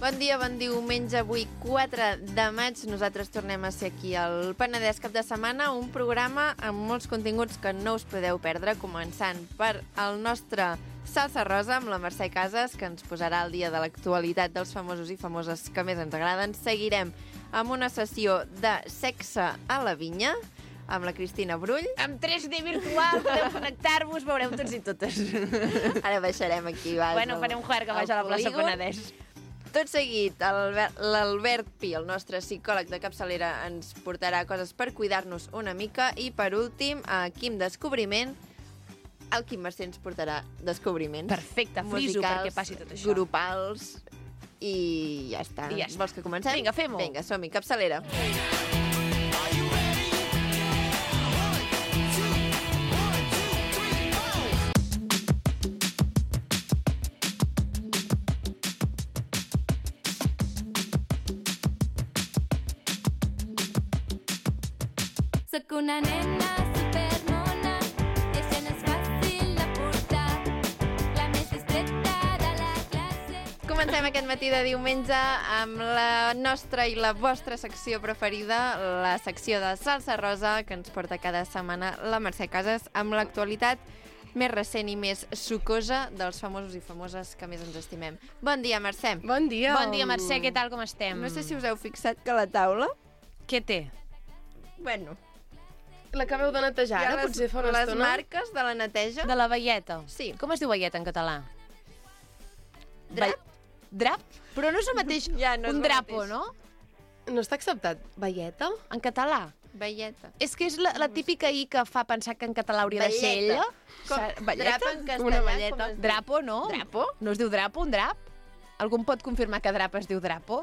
Bon dia, bon diumenge, avui 4 de maig. Nosaltres tornem a ser aquí al Penedès Cap de Setmana, un programa amb molts continguts que no us podeu perdre, començant per el nostre Salsa Rosa amb la Mercè Casas, que ens posarà al dia de l'actualitat dels famosos i famoses que més ens agraden. Seguirem amb una sessió de sexe a la vinya, amb la Cristina Brull. Amb 3D virtual, podeu connectar-vos, veureu tots i totes. Ara baixarem aquí baix. Bueno, farem un juerga baix a la plaça Penedès. Tot seguit, l'Albert Pi, el nostre psicòleg de capçalera, ens portarà coses per cuidar-nos una mica. I, per últim, a Quim Descobriment, el Quim Mercè ens portarà descobriments. Perfecte, friso musicals, perquè passi tot això. Grupals, i ja està. I ja està. Vols que comencem? Vinga, fem-ho. Vinga, som-hi, capçalera. Soc una nena supermona i això no és fàcil de portar, la més distreta de la classe. Comencem aquest matí de diumenge amb la nostra i la vostra secció preferida, la secció de Salsa Rosa, que ens porta cada setmana la Mercè Casas, amb l'actualitat més recent i més sucosa dels famosos i famoses que més ens estimem. Bon dia, Mercè. Bon dia. Bon dia, Mercè, què tal, com estem? No sé si us heu fixat que la taula... Què té? Bueno, L'acabeu de netejar, hi ha ara? Potser fa una les estona? marques de la neteja. De la velleta. Sí. Com es diu velleta en català? Drap? Drap? Però no és el mateix Ja, no és un el drapo, mateix. no? No està acceptat. Velleta? En català. Velleta. És que és la típica I que fa pensar que en català hauria de ser ella. Drap en castellà. Una velleta. com es diu? Drapo, no? Drapo? No es diu drapo, un drap? Algú em pot confirmar que drap es diu drapo?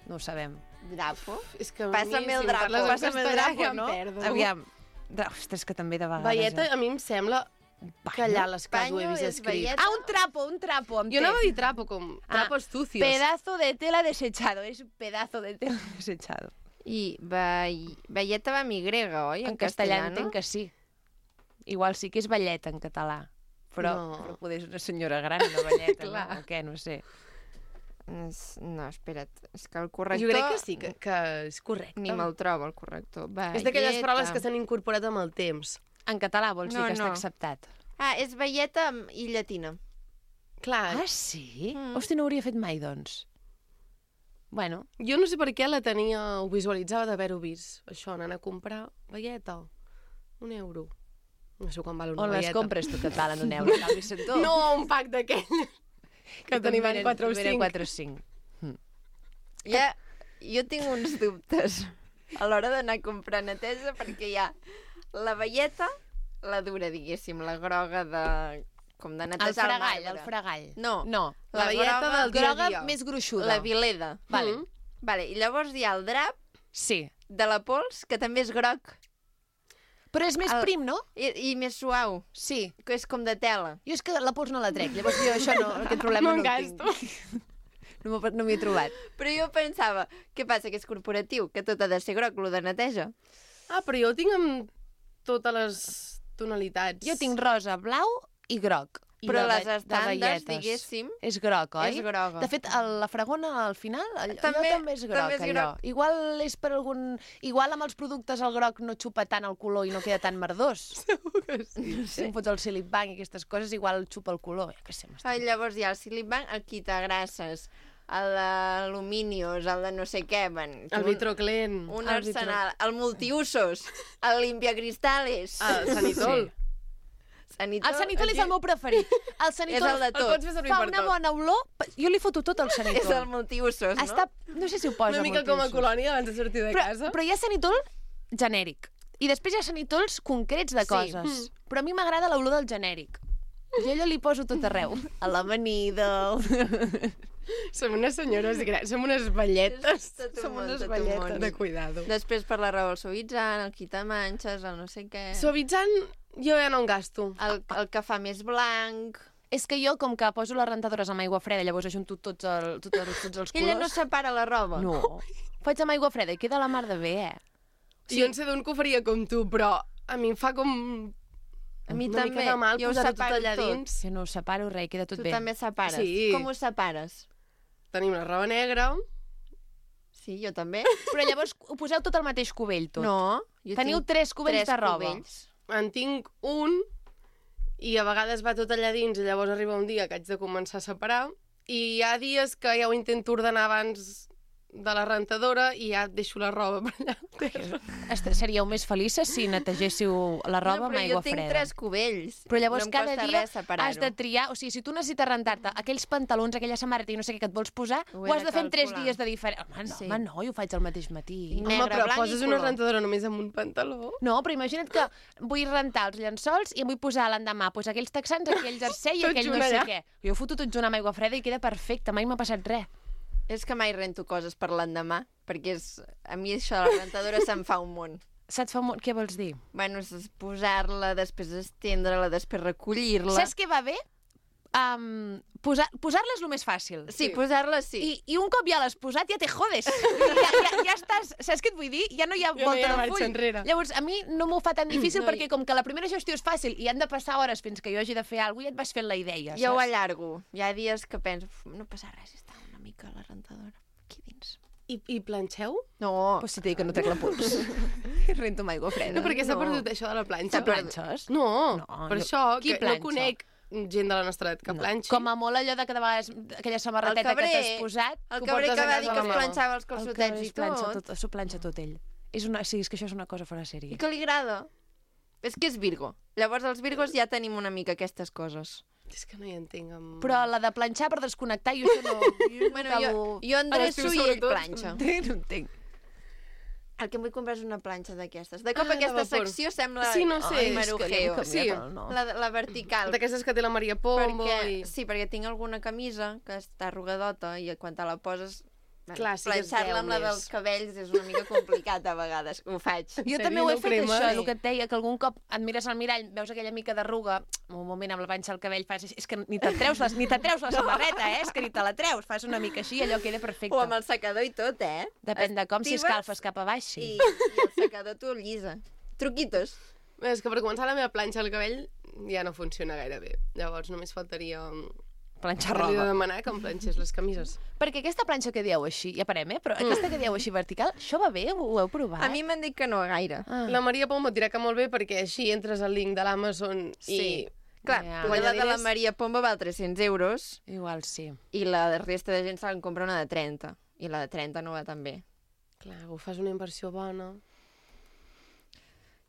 No ho sabem. Drapo? És que a Passa-me mi, el si em drapo, parles en passa-me el castellà, drapo, ja em no? perdo. Aviam. Ostres, que també de vegades... Velleta, a mi em sembla que allà a les cases ho he Panyo vist és escrit. velleta. Ah, un trapo, amb Jo T. anava a dir trapo, com trapos sucios. Pedazo de tela desechado. És un pedazo de tela desechado. I velleta va amb Y, oi? En castellà no? entenc que sí. Igual sí que és velleta en català. Però, No. però poder és una senyora gran, una velleta, Clar. no? O què? No sé. No, espera't. És que el corrector... Jo crec que sí, que és correcte. Ni me'l trobo, el corrector. És d'aquelles paraules que s'han incorporat amb el temps. En català vols dir No, que està no. acceptat? Ah, és velleta i llatina. Clar, Ah, sí? Hosti, no ho hauria fet mai, doncs. Bueno, jo no sé per què la tenia, ho visualitzava d'haver-ho vist. Això, anant a comprar velleta. €1. No sé quan val una on les velleta. compres tu que et valen €1, Calvi Centó? No, un pack d'aquell. Que tenim en 4 o 5. 4 o 5. Ja, jo tinc uns dubtes a l'hora d'anar a comprar neteja, perquè hi ha la velleta, la dura, diguéssim, la groga de... com de netejar El marbre. fregall. No. No. La velleta groga- del dia a Groga dia. més gruixuda. La vileda. Vale. Vale, i llavors hi ha el drap Sí. de la pols, que també és groc. Però és més El- prim, no? I més suau, Sí. que és com de tela. Jo és que la pols no la trec, llavors jo això no, aquest problema No no el tinc. gasto. No m'hi he trobat. Però jo pensava, què passa, que és corporatiu, que tot ha de ser groc, lo de neteja? Ah, però jo ho tinc amb totes les tonalitats. Jo tinc rosa, blau i groc. I Però de les ve- de estàndards, velletes. diguéssim, És groc, oi? és groga. De fet, la fragona al final, allò També- també és groc, també és allò. groc. Igual és per algun... Igual amb els productes el groc no xupa tant el color i no queda tan merdós. Segur que sí. Si em fots el Silip Bank i aquestes coses, igual xupa el color. Ja que sé, Ah, llavors hi ha el Silipbank, el quitagrasses, l'aluminios, el de no sé què, El vitroclen. un el vitro- arsenal, el multiusos, el limpiacristales, El sanitol. sanitol. El sanitol és el meu preferit. El sanitol És el de tot. El pots fer servir fa per una tot. bona olor. Jo li foto tot al És sanitol. el multiusos, no? Està, no sé si ho posa Una mica com a multiusos. colònia abans de sortir de casa. Però hi ha sanitol genèric. I després hi ha sanitols concrets de Sí. coses. Però a mi m'agrada l'olor del genèric. Jo allò li poso tot arreu. A l'amanida... Som unes senyores grans, som unes velletes. Tot un Som món, unes tot un velletes món. de cuidado. Després per la raó el suavitzant, el quitamanxes, el no sé què... Suavitzant, jo ja no en gasto. El que fa més blanc... És que jo, com que poso les rentadores amb aigua freda, llavors ajunto tots els colors... Ella no separa la roba. No. Faig amb aigua freda i queda la mar de bé, eh? Sí. Jo en sé d'on que ho faria com tu, però a mi em fa com A mi una també. mica de mal Jo ho posar-ho tot separo allà tot. dins. Jo no ho separo res, queda tot Tu bé. també separes. Sí. Com ho separes? tenim una roba negra. Sí, jo també. Però llavors ho poseu tot al mateix cubell, tot. No, jo Teniu tinc 3 cubells tres de roba. cubells. En tinc un i a vegades va tot allà dins i llavors arriba un dia que haig de començar a separar i hi ha dies que ja ho intento ordenar abans de la rentadora i ja deixo la roba per allà a terra. Seríeu més felices si netegéssiu la roba amb aigua jo tinc freda. 3 cubells. Però llavors no em cada costa dia res separar-ho. has de triar, o sigui, si tu necessites rentar-te aquells pantalons, aquella samarreta i no sé què que et vols posar, Ho ho he has de de fer en 3 calcular. dies de diferent. Home, no, Sí. home, jo ho faig al mateix matí. Tinc Home, negre, però blanc i poses una color. rentadora només amb un pantaló. No, però imagina't que vull rentar els llençols i em vull posar l'endemà pues, aquells texans, aquell jersei i Tot aquell no junt sé allà. què. Jo ho foto tot junt amb aigua freda i queda perfecte, mai m'ha passat res. És que mai rento coses per l'endemà, perquè a mi això de la rentadora se'm fa un món. Se't fa molt... Què vols dir? Bueno, és posar-la, després estendre-la, després recollir-la. Saps què va bé? Posar-la és el més fàcil. Sí, posar-la sí. I un cop ja l'has posat, ja te jodes. ja estàs... Saps què et vull dir? Ja no hi ha Ja no hi volta ha de marxa full. enrere. Llavors, a mi no m'ho fa tan difícil No, perquè com que la primera gestió és fàcil i han de passar hores fins que jo hagi de fer alguna cosa, ja et vas fent la idea, Jo ho saps? allargo. Hi ha dies que penso, no passa res, està una mica a la rentadora aquí dins. I planxeu? No, Pues si t'he dit que no trec la pols. Rento amb aigua freda. No, perquè s'ha No. perdut això de la planxa. Te planxes? No, No, per no. això, Qui que planxa? no conec gent de la nostra edat que planxi. Com a molt allò de que de vegades aquella samarreteta El que cabrer. t'has posat... el que cabrer portes que a va casa dir de que la es mama. planxava els El calçotets cabrer i es planxa tot. s'ho planxa tot ell. Sí, és que això és una cosa fora de sèrie. I que li agrada. És que és Virgo. Llavors els Virgos ja tenim una mica aquestes coses. És que no hi entenc. Amb... Però la de planxar per desconnectar, jo això no... Jo Bueno, acabo... jo endreço l'estiu i ell sobretot. planxa. No entenc. El que em vull comprar és una planxa d'aquestes. De cop Ah, de aquesta vapor. secció sembla... Sí, no sé, Ai, és que marujeo. sí. No. La vertical. D'aquestes que té la Maria Pombo Perquè, i... sí, perquè tinc alguna camisa que està arrugadota i quan te la poses... Clar, sí que es planxar-la veu amb la més. dels cabells és una mica complicat a vegades. Ho faig. Jo sèrio, també ho he no fet, cremes? això, el que et deia, que algun cop et mires al mirall, veus aquella mica d'arruga, un moment amb la panxa al cabell, fas, és que ni te'n treus, ni te treus la samarreta, és que ni te la treus, fas una mica així, allò queda perfecte. O amb el secador i tot, Depèn de com, si Actives escalfes cap a baix, sí. I el secador t'ho llisa. Truquitos. Bé, és que per començar la meva planxa al cabell ja no funciona gaire bé. Llavors només faltaria... Planxar Li he de roba. demanar que em planxés les camises. Perquè aquesta planxa que dieu així, ja parem, però aquesta que dieu així vertical, això va bé? Ho heu provat? A mi m'han dit que no gaire. Ah. La Maria Pombo et dirà que molt bé perquè així entres al link de l'Amazon Sí. i... Clar, Ja. potser la de la Guanyaries- Maria Pombo val 300 euros Igual sí. i la resta de gent se'n compra una de 30. I la de 30 no va tan bé. Clar, ho fas una inversió bona.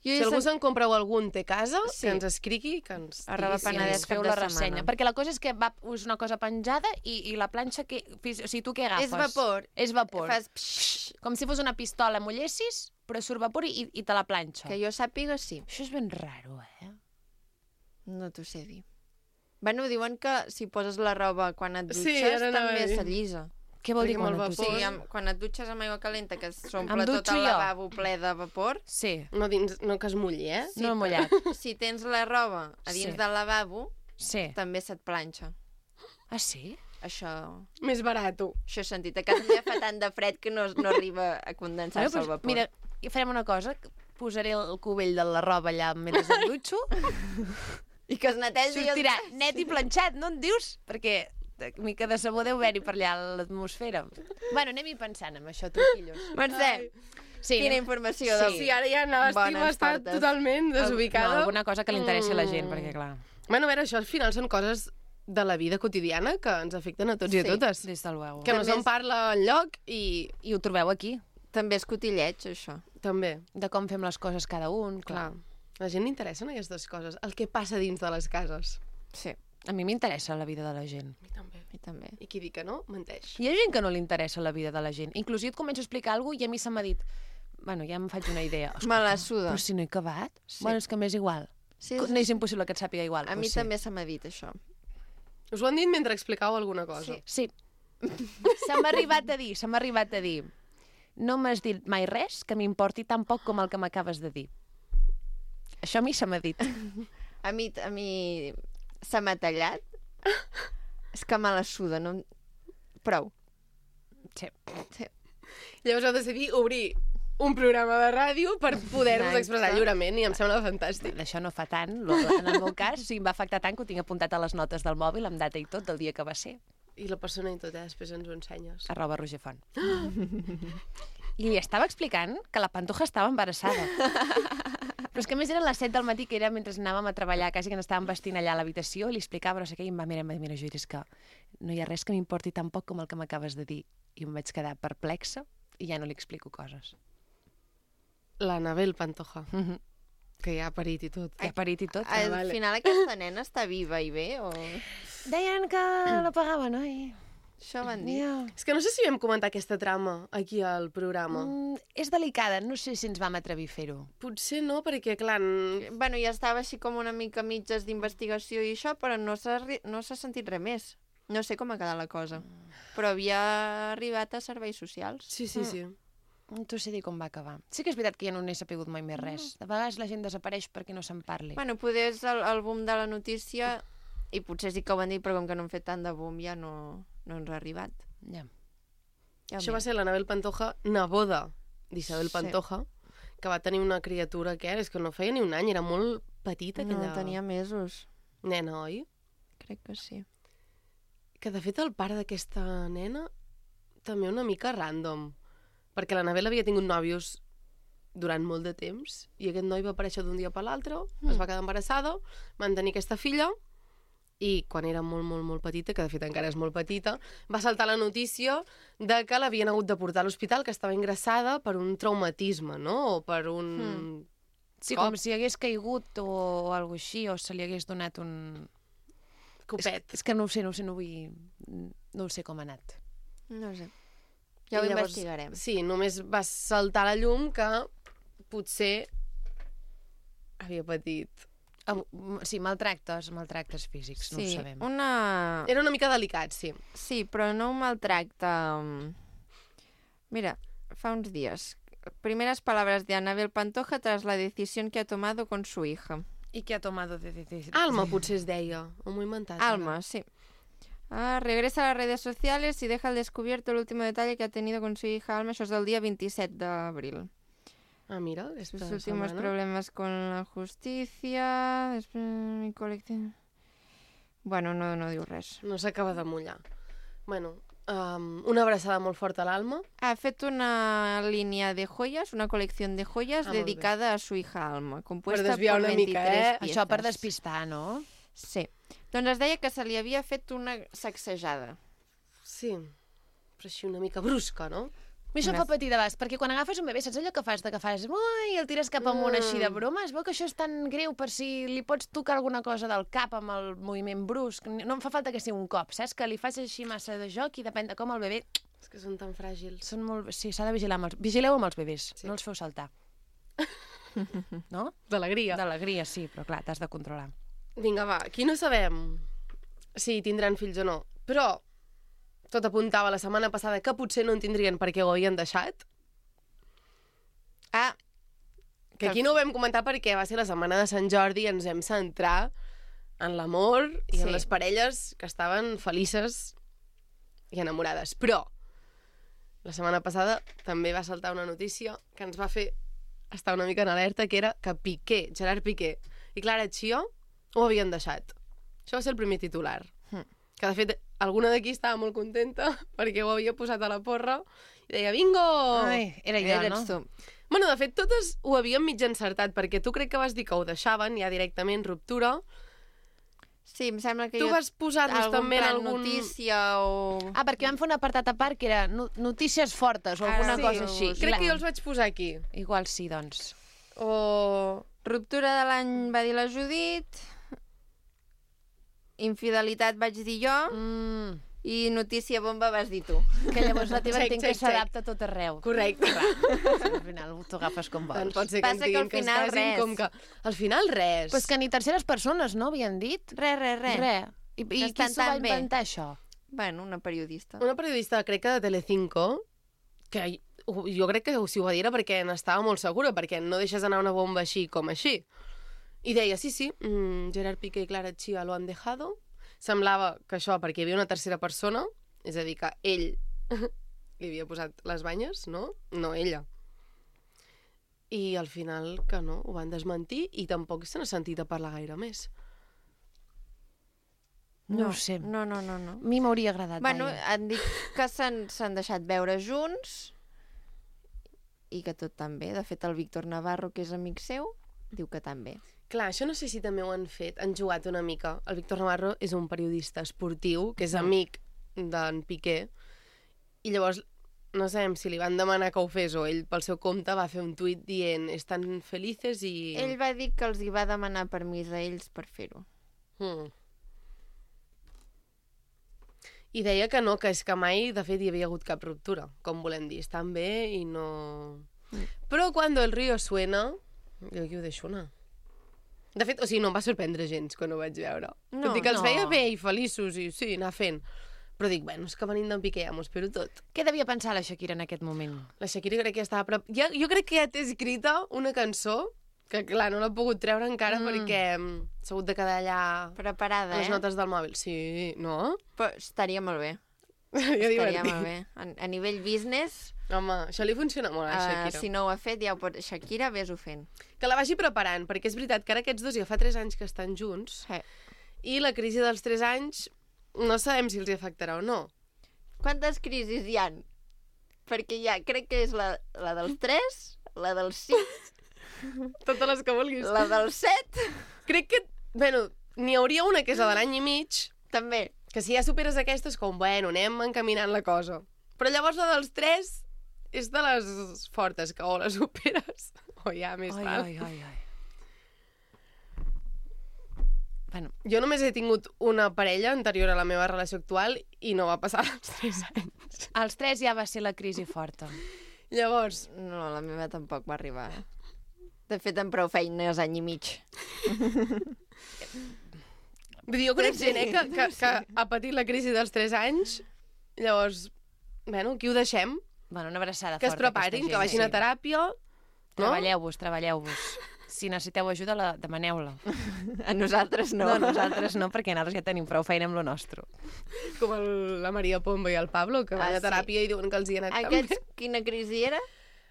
Jo Si he algú sent- se'n compra alguna té a casa, Sí. que ens escrigui, que ens Arroba digui si Penedès ens- cap Feu de la setmana. ressenya. Perquè la cosa és que és una cosa penjada i la planxa, que, o sigui, tu què agafes? És vapor. És vapor. Fas pxxt, Com si fos una pistola, mullessis, però surt vapor i te la planxa. que jo sàpiga, sí. Això és ben raro, No t'ho sé dir. Bueno, diuen que si poses la roba quan et Sí, dutxes ara anava a també dir. s'allisa. Què vol dir Perquè quan amb el et O dutxes? sigui, quan et dutxes amb aigua calenta, que s'omple Em tot dutxo el jo. lavabo ple de vapor, Sí, No, dins, no que es mulli, eh? no he mullat. si tens la roba a dins Sí. del lavabo, Sí. també se't planxa. Ah, sí? Això Més barat. he sentit. A casa meva fa tant de fred que no arriba a condensar-se el vapor. mira, i farem una cosa, que posaré el cubell de la roba allà mentre em dutxo, I que es netegi... sortirà net i planxat, no en dius? Perquè mica de sabó deu haver-hi per allà a l'atmosfera. Bueno, anem-hi pensant amb això, truquillos. Mercè, Sí, quina informació. del- Sí, ara ja l'estima Bones està portes. totalment No, desubicada. alguna cosa que li interessi a la gent, perquè clar, Bueno, a veure, això al final són coses de la vida quotidiana que ens afecten a tots i a Sí. totes. des del veu. Que no També se'n és- parla enlloc i I ho trobeu aquí, També és cotilleig, això. també, de com fem les coses cada un, clar. clar. A la gent li interessen aquestes coses, el que passa dins de les cases. Sí, A mi m'interessa la vida de la gent. A mi també. a mi també. I qui diu que no, menteix. Hi ha gent que no li interessa la vida de la gent. Inclusive et començo a explicar alguna cosa i a mi se m'ha dit... Bueno, ja em faig una idea. Me la suda. Però si no he acabat? Sí. Bueno, és que m'és igual. Sí, No és impossible que et sàpiga igual. a mi doncs sí. també se m'ha dit això. Us ho han dit mentre explicàveu alguna cosa. Sí. Sí. Se m'ha arribat a dir. No m'has dit mai res que m'importi tan poc com el que m'acabes de dir. Això a mi se m'ha dit. A mi se m'ha tallat. És que me la suda, no... Prou. Sí. Sí. Llavors heu decidit obrir un programa de ràdio per poder-vos Exacte. expressar lliurement i em sembla fantàstic. D'això no fa tant. En el meu cas, o sigui, em va afectar tant que ho tinc apuntat a les notes del mòbil, amb data i tot, del dia que va ser. I la persona i tot, després ens ho ensenyes. @RogerFont. I li estava explicant que la Pantoja estava embarassada. Però és que a més eren les 7 del matí, que era mentre anàvem a treballar, quasi que ens estàvem vestint allà a l'habitació, i li explicava, no sé què, i em va mirar, Judit, és que no hi ha res que m'importi tan poc com el que m'acabes de dir. I em vaig quedar perplexa i ja no li explico coses. L'Anabel Pantoja, que ja ha parit i tot. Ha parit i tot. Al final aquesta nena està viva i bé, o... Deien que la pagaven, oi? Això van dir. És que no sé si vam comentar aquesta trama aquí al programa. És delicada, no sé si ens vam atrevir a fer-ho. Potser no, perquè, clar... Bueno, ja estava així com una mica mitges d'investigació i això, però no s'ha sentit res més. No sé com ha quedat la cosa. Però havia arribat a serveis socials. Sí. Tu sé dir com va acabar. Sí que és veritat que ja no n'he sapigut mai més res. De vegades la gent desapareix perquè no se'n parli. Bueno, poder és el boom de la notícia, i potser sí que ho van dir, però com que no han fet tant de boom ja no ens ha arribat. Ja. Això va ser l'Anabel Pantoja, neboda d'Isabel Sí. Pantoja, que va tenir una criatura que és que no feia ni un any, era molt petita aquella No, tenia mesos. nena, oi? Crec que sí. Que de fet el pare d'aquesta nena també una mica random, perquè l'Anabel havia tingut nòvios durant molt de temps i aquest noi va aparèixer d'un dia per l'altre, es va quedar embarassada, van tenir aquesta filla i quan era molt, molt, molt petita, que de fet encara és molt petita, va saltar la notícia de que l'havien hagut de portar a l'hospital, que estava ingressada per un traumatisme, no? O per un... Sí, cop. com si hagués caigut o alguna cosa així, o se li hagués donat un... Copet. És que no ho sé, no vull... No ho sé com ha anat. No sé. Ja ho I llavors, investigarem. Sí, només va saltar a la llum que potser havia patit. Sí, maltractes físics, no ho sabem. Era una mica delicat, sí. Sí, però no un maltracte... Mira, fa uns días. Primeras palabras de Anabel Pantoja tras la decisión que ha tomado con su hija. I què ha tomado de decisión? Alma potser es deia, o m'ho he inventat. Alma, sí. Regresa a las redes sociales y deja al descubierto el último detalle que ha tenido con su hija Alma. Això és del dia 27 d'abril. Ah, mira, esta Sus últimos setmana. problemas con la justicia... Després, mi col·lectiu... Bueno, no diu res. No s'acaba de mullar. Bueno, una abraçada molt forta a l'Alma. Ha fet una línia de joyas, una col·lecció de joyas molt dedicada a su hija Alma, compuesta Per desviar por una 23 mica, eh? piezas. Això per despistar, no? Sí. Doncs es deia que se li havia fet una sacsejada. Sí, però així una mica brusca, no? A mi això em fa patir de bast, perquè quan agafes un bebè, saps allò que fas? De que fas, ui, el tires cap amunt així de broma? Es veu que això és tan greu per si li pots tocar alguna cosa del cap amb el moviment brusc. No em fa falta que sigui un cop, saps? Que li fas així massa de joc i depèn de com el bebè... És que són tan fràgils. Són molt... Sí, s'ha de vigilar amb els... Vigileu amb els bebès, Sí. no els feu saltar. No? D'alegria. D'alegria, sí, però clar, t'has de controlar. Vinga, va, aquí no sabem si tindran fills o no, però tot apuntava la setmana passada que potser no en tindrien perquè ho havien deixat. Ah, Que aquí no ho vam comentar perquè va ser la setmana de Sant Jordi i ens hem centrat en l'amor i en Sí. les parelles que estaven felices i enamorades. Però la setmana passada també va saltar una notícia que ens va fer estar una mica en alerta, que era que Piqué, Gerard Piqué i Clara Chio ho havien deixat. Això va ser el primer titular. Que, de fet, alguna d'aquí estava molt contenta perquè ho havia posat a la porra i deia, bingo! Ai, era jo, no? eres tu. Bueno, de fet, totes ho havíem mig encertat, perquè tu crec que vas dir que ho deixaven ja directament, ruptura. Sí, em sembla que Tu vas posar-nos també en algun... notícia o... Ah, perquè vam fer un apartat a part que era notícies fortes o alguna sí, cosa així. Crec que jo els vaig posar aquí. Igual sí, doncs. O... Ruptura de l'any va dir la Judit, infidelitat vaig dir jo, i notícia bomba vas dir tu. Que llavors la teva Check, entenc que check, s'adapta a tot arreu. Correcte. Sí, al final t'ho agafes com Tant vols. pot ser que Passa ens que al diguin que es final casin res. com que... Al final res. Però és que ni terceres persones, no, havien dit? Res. Res. I qui estan s'ho va tan bé. inventar, això? Bueno, una periodista. Una periodista, crec que de Telecinco, que jo crec que si ho va dir era perquè n'estava molt segura, perquè no deixes anar una bomba així com així. I deia, sí, Gerard Piqué i Clara Chía lo han dejado. Semblava que això perquè hi havia una tercera persona, és a dir, que ell li havia posat les banyes, no? No ella. I al final que no, ho van desmentir i tampoc se n'ha sentit a parlar gaire més. No ho sé. No. A mi m'hauria agradat. Bueno, Laia. han dit que s'han deixat veure junts i que tot tan bé. De fet, el Víctor Navarro, que és amic seu, diu que també. Clar, això no sé si també ho han fet, han jugat una mica. El Víctor Navarro és un periodista esportiu, que és amic d'en Piqué, i llavors no sabem si li van demanar que ho fes o ell pel seu compte va fer un tuit dient estan felices i... Ell va dir que els hi va demanar permís a ells per fer-ho. I deia que no, que és que mai, de fet, hi havia hagut cap ruptura. Com volem dir, estan bé i no... Però quan el río suena, jo aquí ho deixo anar. De fet, o sigui, no em va sorprendre gens quan ho vaig veure. No, Tot i que els no. veia bé i feliços i sí, anar fent. Però dic, bueno, és que venint d'en Piqué ja m'ho espero tot. Què devia pensar la Shakira en aquest moment? La Shakira crec que ja estava... Jo crec que ja té escrita una cançó que, clar, no l'ha pogut treure encara perquè s'ha hagut de quedar allà Preparada, a les eh? notes del mòbil. Sí, no? Però estaria molt bé. Estaria Estaria molt bé. A nivell business, Home, això li funciona molt a Shakira. si no ho ha fet, ja ho pot... Shakira, vés-ho fent. Que la vagi preparant, perquè és veritat que ara aquests dos ja fa 3 anys que estan junts Sí. i la crisi dels 3 anys no sabem si els hi afectarà o no. Quantes crisis hi han? Perquè ja crec que és la dels 3, la dels 5, Totes les que vulguis. la dels 7, Crec que, bueno, n'hi hauria una que és la de l'any i mig, també. que si ja superes aquestes, com, bueno, anem encaminant la cosa. Però llavors la dels 3 és de les fortes, que o les superes o ja més val. ai. Bueno, Jo només he tingut una parella anterior a la meva relació actual i no va passar als 3 anys. als 3 ja va ser la crisi forta. Llavors, No, la meva tampoc va arribar. De fet, amb prou feines, any i mig. vull dir, jo conec Sí. gent que ha patit la crisi dels 3 anys, llavors, bueno, aquí ho deixem, Bueno, una abraçada que es forta a preparin, aquesta que vagin a gent, teràpia, no? Treballeu-vos. Si necessiteu ajuda, demaneu-la. A nosaltres no. No, nosaltres no, perquè nosaltres ja tenim prou feina amb lo nostre. Com la Maria Pombo i el Pablo, que van a sí. teràpia i diuen que els hi ha anat Aquests, tan bé. quina crisi era?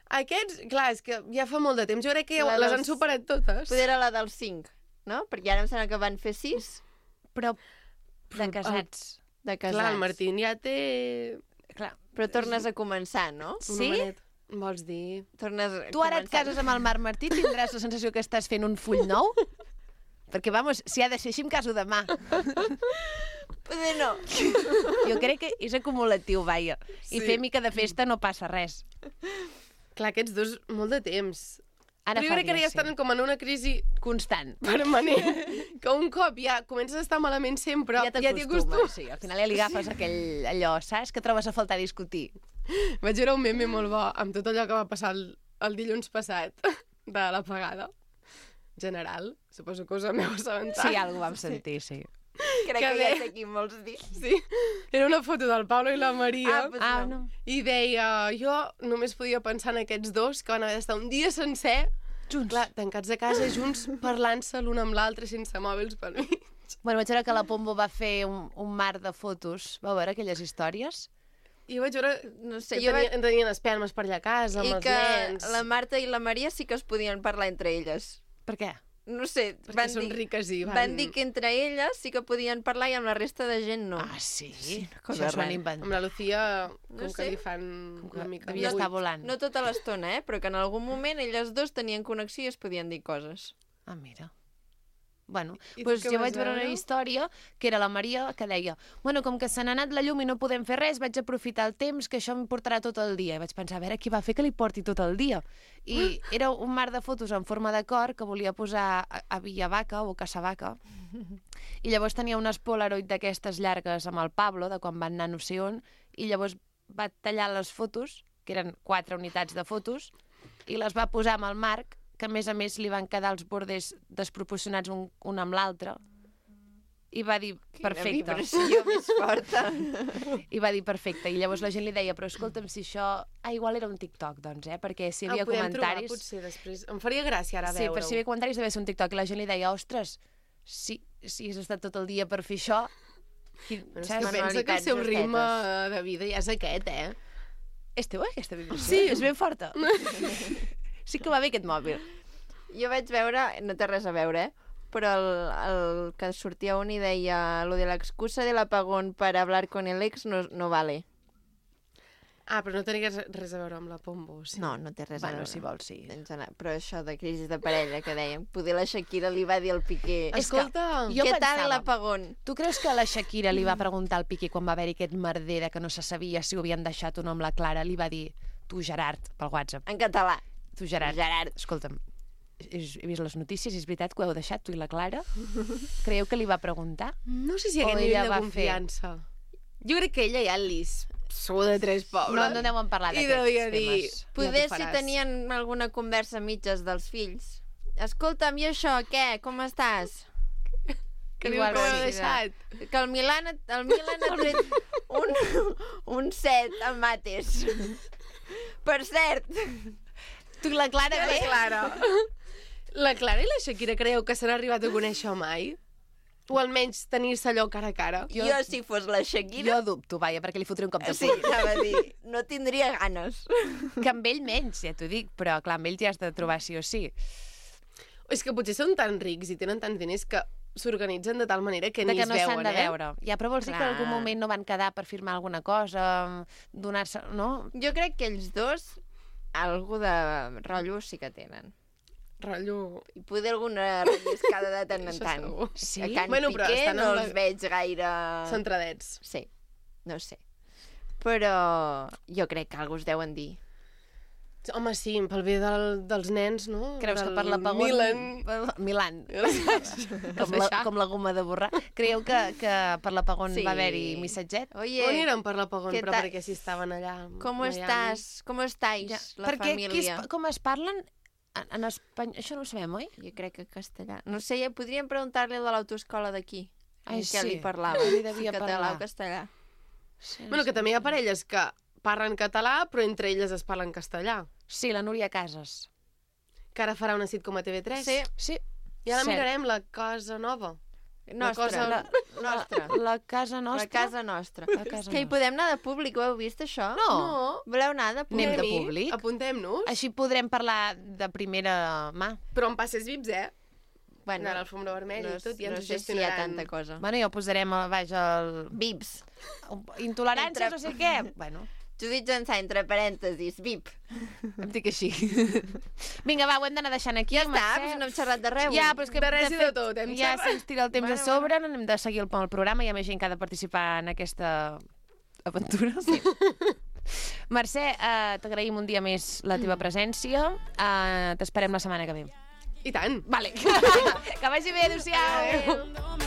Aquests, clar, és que ja fa molt de temps. Jo crec que ja La les dels- han superat totes. Poder era la dels 5, no? Perquè ara em sembla que van fer 6 Però de casats. de casats. Clar, el Martín ja té... Clar. Però tornes a començar, no? un Sí? homenet. Vols dir? Tornes a Tu ara et començar. cases amb el Marc Martí, tindràs la sensació que estàs fent un full nou? Perquè, vamos, si ha de ser així, em caso demà. Poder no. Jo crec que és acumulatiu, vaja. I Sí. fer mica de festa no passa res. Clar, aquests dos, molt de temps. Ara Però jo fa crec que ara ja dies, sí. estan com en una crisi Constant. permanent, que un cop ja comences a estar malament sempre, Ja t'hi t'acostumes, sí. Al final ja li agafes allò, saps? Que trobes a faltar discutir. Vaig veure un meme molt bo amb tot allò que va passar el dilluns passat de l'apagada general. Suposo que us en heu assabentat. Sí, algú vam sentir, sí. Crec Que que bé. ja sé qui vols dir. Sí, era una foto del Pablo i la Maria. pues Ah, no. I deia, jo només podia pensar en aquests dos que van haver d'estar un dia sencer, Junts. clar, tancats a casa, junts, parlant-se l'un amb l'altre sense mòbils pel mig. Bueno, vaig veure que la Pombo va fer un mar de fotos. Vau veure aquelles històries? I vaig veure No sé, que jo vaig... tenien espelmes per allà a casa, amb I els que nens. la Marta i la Maria sí que es podien parlar entre elles. Per què? No sé, Perquè són riques i van dir que entre elles sí que podien parlar i amb la resta de gent no. Ah, sí? cosa Això s'ho han rara. inventat. Amb la Lucía, com No que sé. li fan Com que una mica... devia buit. estar volant. No tota l'estona, però que en algun moment elles dos tenien connexió i es podien dir coses. Ah, mira. Bueno, I tu doncs què jo vas vaig veure una veure? història que era la Maria que deia bueno, com que se n'ha anat la llum i no podem fer res, vaig aprofitar el temps que això em portarà tot el dia. I vaig pensar, a veure, qui va fer que li porti tot el dia? I era un mar de fotos en forma de cor que volia posar a Villavaca o Casavaca. I llavors tenia unes Polaroid d'aquestes llargues amb el Pablo, de quan van anar no sé on, i llavors va tallar les fotos, que eren 4 unitats de fotos, i les va posar amb el Marc, que a més li van quedar els bordes desproporcionats un amb l'altre, i va dir, perfecte. Quina vibració més forta. I va dir, perfecte. I llavors la gent li deia, però escolta'm, si això... Ah, igual era un TikTok, doncs, perquè si hi havia podem comentaris... trobar, potser, després. Em faria gràcia ara Sí, veure-ho. per si hi havia comentaris devia ser un TikTok. I la gent li deia, ostres, si has estat tot el dia per fer això... Però és saps? que pensa que el seu Manualitats ritme de vida ja és aquest, És teu, aquesta vibració? Sí. És ben forta. Sí que va bé aquest mòbil. Jo vaig veure, no té res a veure, però el que sortia un i deia lo de la excusa del apagón para hablar con el ex no vale. Ah, però no tenia res a veure amb la Pombo, sí. No té res a veure. si vols, sí. Però això de crisi de parella que dèiem, poder la Shakira li va dir al Piqué Escolta, jo què tal pensava- l'apagón? Tu creus que la Shakira li va preguntar al Piqué quan va haver-hi aquest merder de que no se sabia si ho havien deixat o no amb la Clara? Li va dir, tu Gerard, pel WhatsApp. En català. Tu Gerard. Gerard. Escolta'm, he vist les notícies, és veritat que ho heu deixat, tu i la Clara? Creieu que li va preguntar? no sé si O aquest ella nivell de va confiança. Jo crec que ella ja li sou de tres pobres. No deuen parlar I d'aquests devia dir, temes. Poder t'ho si faràs. tenien alguna conversa a mitges dels fills. Escolta'm, i això, què? Com estàs? Que diu Igual que ho he sí, deixat. Que el Milan ha tret un 7 al Mates. Per cert, Tu i la Clara, La bé? Clara. La Clara i la Shakira creieu que s'han arribat a conèixer mai? O almenys tenir-se allò cara a cara? jo si fos la Shakira... Jo dubto, vaja, perquè li fotré un cop de Sí, puny. anava a dir, no tindria ganes. Que amb ell menys, ja t'ho dic, però clar, amb ell ja has de trobar sí o sí. És que potser són tan rics i tenen tants diners que s'organitzen de tal manera que De ni que es no s'han veuen, de veure. Ja, però vols dir que en algun Clar. moment no van quedar per firmar alguna cosa, donar-se... No? Jo crec que ells dos algú de rotllo sí que tenen. Rotllo... I poder alguna relliscada de tant en Això tant. segur. Sí? A Can Bueno, però Piqué estan no amb els la- veig gaire... Centradets. Sí, no sé. Però jo crec que algú us deuen dir. Home, sí, pel bé dels nens, no? Creus que Del per l'apagón... Milan... Milan. Com Com la goma de borrar. Creieu que per l'apagón Sí. va haver-hi missatget? Oye, On eren per l'apagón? què Però tal? perquè si estaven allà... ¿cómo a Miami. estás? ¿Cómo estáis, Ja, la perquè família? com es parlen en espanyol? Això no ho sabem, oi? Jo crec que castellà. No sé, ja podríem preguntar-li a l'autoescola d'aquí. Ai, en què sí. li parlava. Li devia si català parlar. o castellà. Sí, Bueno, que també hi ha parelles que parlen català, però entre elles es parlen castellà. Sí, la Núria Casas. Que ara farà una sitcom a TV3. Sí. Sí. I ara Cert. mirarem La Casa Nova. Nostra. cosa- Nostra. La casa nostra. La casa nostra. La casa Que hi nostra. podem anar de públic, ho heu vist, això? No. Voleu anar de públic? Anem de Anem-hi, públic? Apuntem-nos. Així podrem parlar de primera mà. Però amb passes vips, Bueno, Anar a l'alfombra vermella no, i tot, i ens no ho sé si hi ha gestionaran. tanta cosa. Bueno, ja ho posarem a baix el... Vips. Intoleràncies, Entre- no sé què. Bueno, Tu dius entre parèntesis, VIP. em dic així. Vinga, va, ho hem d'anar deixant aquí. Ja està, doncs no hem xerrat de res. Ja, però és que De res i de tot, hem ja xerrat. se'ns tira el temps Bueno, a sobre, no hem de seguir el programa, hi ha més gent que ha de participar en aquesta aventura. Sí. Mercè, t'agraïm un dia més la teva presència. T'esperem la setmana que ve. I tant. Vale. Que vagi bé, adéu-siau.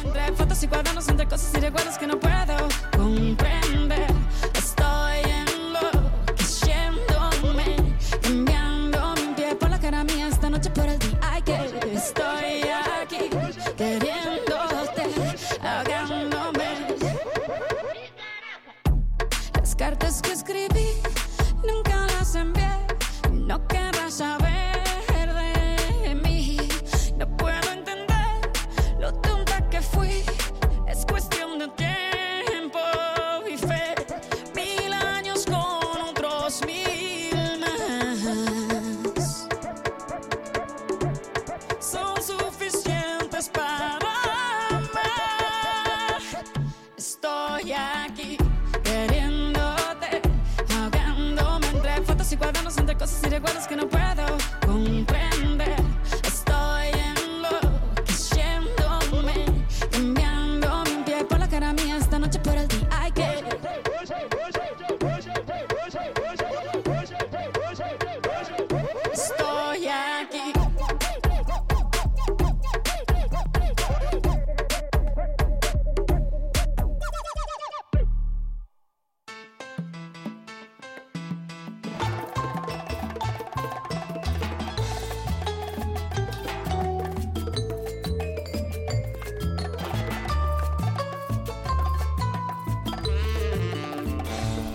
Entre fotos y cuadernos, entre cosas y recuerdos que no puedo comprender. Estoy enloqueciéndome, cambiando mi pie por la cara mía esta noche por el día. Ay, que estoy aquí queriéndote, ahogándome. Las cartas que escribí nunca las envié. No querrás saber de mí. No puedo entender lo tonta que fui. Es cuestión de tiempo y fe. 1000 años con otros 1000 más son suficientes para amar. Estoy aquí queriéndote, ahogándome entre fotos y cuadernos, entre cosas y recuerdos que no puedo comprender. Estoy enloqueciéndome, cambiando mi pie por la cara mía esta noche por el día. Ay, que estoy aquí.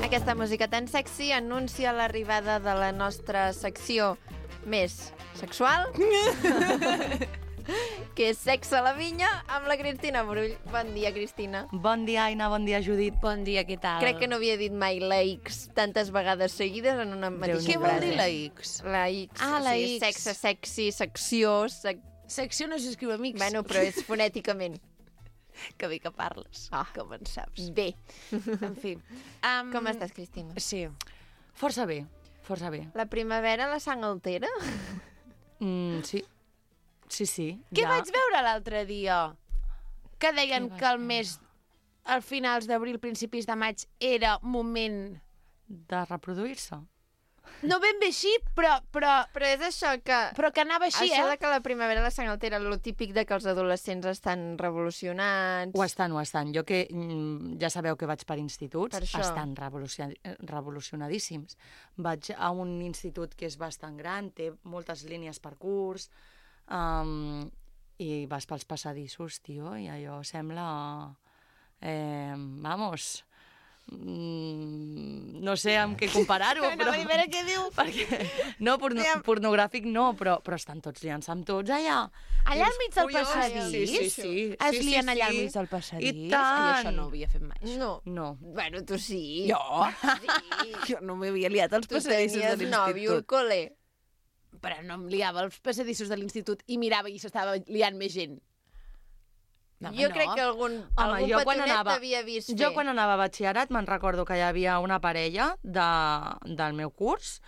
Aquesta música tan sexy anuncia l'arribada de la nostra secció més sexual, que és Sexe a la Vinya, amb la Cristina Brull. Bon dia, Cristina. Bon dia, Aina, bon dia, Judit. Bon dia, què tal? Crec que no havia dit mai la X tantes vegades seguides en una mateixa Què frase. vol dir la X? La X, Ah, la sí, X. sexe, sexy, secció, Secció no s'escriu amics. Bueno, però és fonèticament. Que bé que parles, com en saps. Bé. En fi. Com estàs, Cristina? Sí. Força bé, força bé. La primavera la sang altera? Sí. Sí. Què vaig veure l'altre dia? Que deien Què vas que el veure? mes, al finals d'abril, principis de maig, era moment... De reproduir-se. No ben bé així, però Però és això que... que anava així, Això de que la primavera la sang altera, lo típic de que els adolescents estan revolucionats... Ho estan. Jo que ja sabeu que vaig per instituts, Per això. estan revolucionadíssims. Vaig a un institut que és bastant gran, té moltes línies per curs, i vas pels passadissos, tio, i allò sembla... vamos... no sé amb què comparar-ho, però... primera què diu? Perquè, no, pornogràfic no, però estan tots liant-se amb tots allà. Allà al mig del Collons, passadís? Sí. Es lien allà al mig del passadís? I tant. Jo això no ho havia fet mai. No. No. Bueno, tu sí. Jo? Sí. Jo no m'havia liat als Tu passadissos de tenies nòvio al l'institut. col·le. Però no em liava als passadissos de l'institut i mirava i s'estava liant més gent. No, Jo crec que algun jo quan petonet anava- t'havia vist fer. Jo quan anava a batxillerat me'n recordo que hi havia una parella del meu curs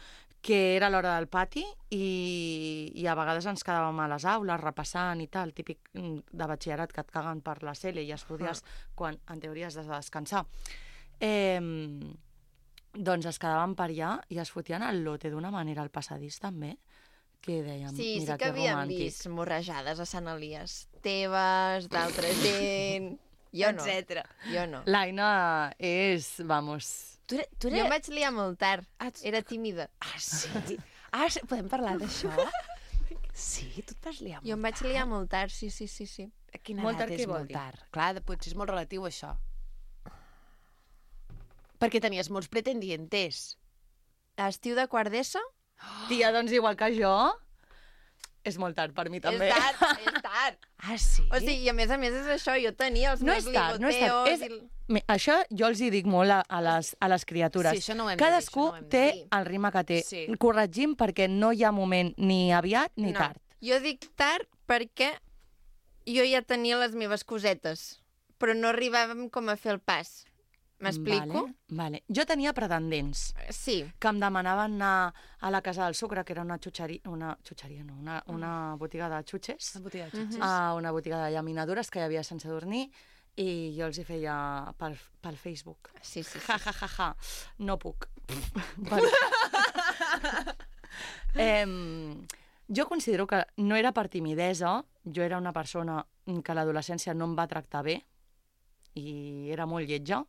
que era a l'hora del pati i a vegades ens quedàvem a les aules repassant i tal, típic de batxillerat que et caguen per la cel·le i estudies quan en teoria has de descansar. Doncs es quedaven per allà i es fotien el lote d'una manera al passadís també, que dèiem, Sí, mira sí que que havíem romàntic. vist morrejades a Sant Elies. Teves, d'altra gent... Jo no. Etcètera. Jo no. L'Aina és, vamos... Tu Jo em vaig liar molt tard. Era tímida. Ah, sí? Podem parlar d'això? Sí, tu et vas liar Jo em vaig liar molt tard, sí. A quina Molt edat tard, és què vol molt dir? tard? Clar, potser és molt relatiu, això. Perquè tenies molts pretendientes. A estiu de quart d'ESO? Tia, doncs igual que jo, és molt tard per mi també. És tard. Ah, sí? O sigui, i a més és això, jo tenia els No meus és tard, no és tard. ligoteos... Això jo els hi dic molt a les criatures. Sí, això no ho hem de dir, Cadascú això no ho hem de té dir. el ritme que té. Sí. Corregim perquè no hi ha moment ni aviat ni No. tard. Jo dic tard perquè jo ja tenia les meves cosetes, però no arribàvem com a fer el pas. M'explico? Vale. Jo tenia pretendents Sí. que em demanaven anar a la Casa del Sucre, que era una botiga de xutxes, Una botiga de xutxes. a una botiga de llaminadures que hi havia sense dormir, i jo els hi feia pel Facebook. Sí. Ja. No puc. Jo considero que no era per timidesa, jo era una persona que a l'adolescència no em va tractar bé i era molt lletja,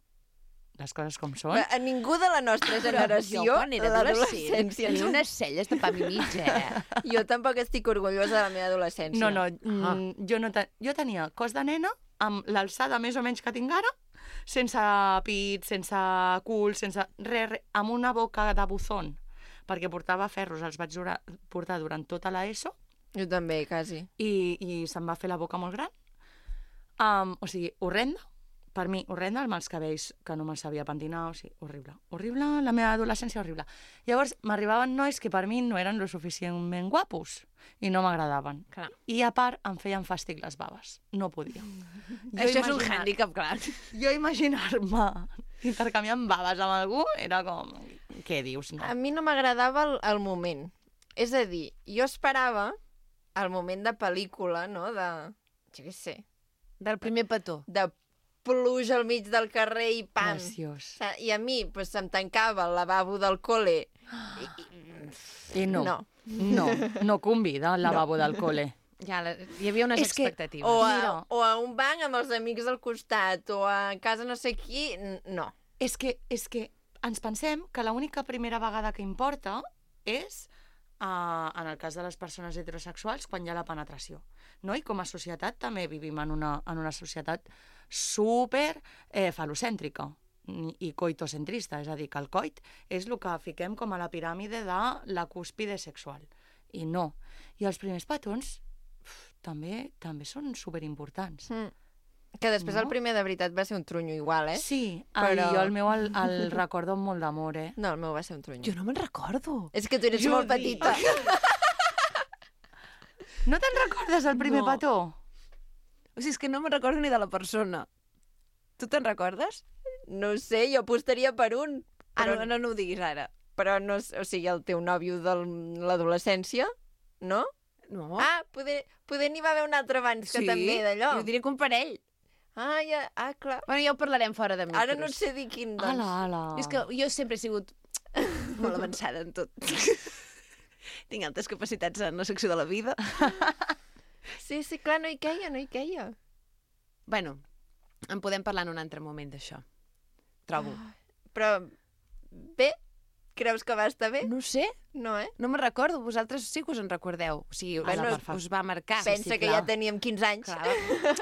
les coses com són. A ningú de la nostra generació, Jo, quan era adolescent, l'adolescència... tenia unes celles de pa i mig, Jo tampoc estic orgullosa de la meva adolescència. Jo tenia cos de nena amb l'alçada més o menys que tinc ara, sense pit, sense cul, sense res, amb una boca de buzón, perquè portava ferros, els vaig portar durant tota l'ESO, Jo també, quasi. i se'm va fer la boca molt gran. O sigui, horrenda, per mi, horrenda, amb els cabells que no me'ls sabia pentinar, o sigui, horrible. Horrible, la meva adolescència horrible. Llavors, m'arribaven nois que per mi no eren lo suficientment guapos i no m'agradaven. Clar. I a part, em feien fàstic les baves. No podia. Això és un hàndicap, clar. Jo imaginar-me intercanviant baves amb algú era com... Què dius, no? A mi no m'agradava el moment. És a dir, jo esperava el moment de pel·lícula, no?, de... Jo què sé. Del primer petó. De pluja al mig del carrer i pam. Preciós. I a mi pues, se'm tancava el lavabo del col·le. I no. No. No convida el lavabo del col·le. Ja, hi havia unes És que- expectatives. O a un banc amb els amics al costat, o a casa no sé qui... No. És que ens pensem que l'única primera vegada que importa és, en el cas de les persones heterosexuals, quan hi ha la penetració. No? I com a societat també vivim en una societat super falocèntrica i coitocentrista, és a dir, que el coit és el que fiquem com a la piràmide de la cúspide sexual. I no. I els primers petons també són superimportants. Que després No? el primer de veritat va ser un trunyo igual, eh? Sí, Però- jo el meu el recordo amb molt d'amor, eh? No, el meu va ser un trunyo. Jo no me'n recordo. És que tu eres molt petita. No te'n recordes el primer No. petó? O sigui, és que no me'n recordo ni de la persona. Tu te'n recordes? No ho sé, jo apostaria per un. Però, No ho diguis ara. però no, o sigui, el teu nòvio de l'adolescència, no? No. Ah, poder n'hi va haver un altre abans que també d'allò. Jo diria que un parell. Clar. Bueno, ja ho parlarem fora de micros. Ara no sé dir quin, doncs. Ala. És que jo sempre he sigut molt avançada en tot. Tinc altes capacitats en la secció de la vida. Sí, clar, no hi queia. Bueno, en podem parlar en un altre moment d'això. Trobo. Però, bé, creus que va estar bé? No sé, No, eh? no me'n recordo. Vosaltres sí que us en recordeu. O sigui, Bueno, us va marcar. Pensa que clar. ja teníem 15 anys. Clar,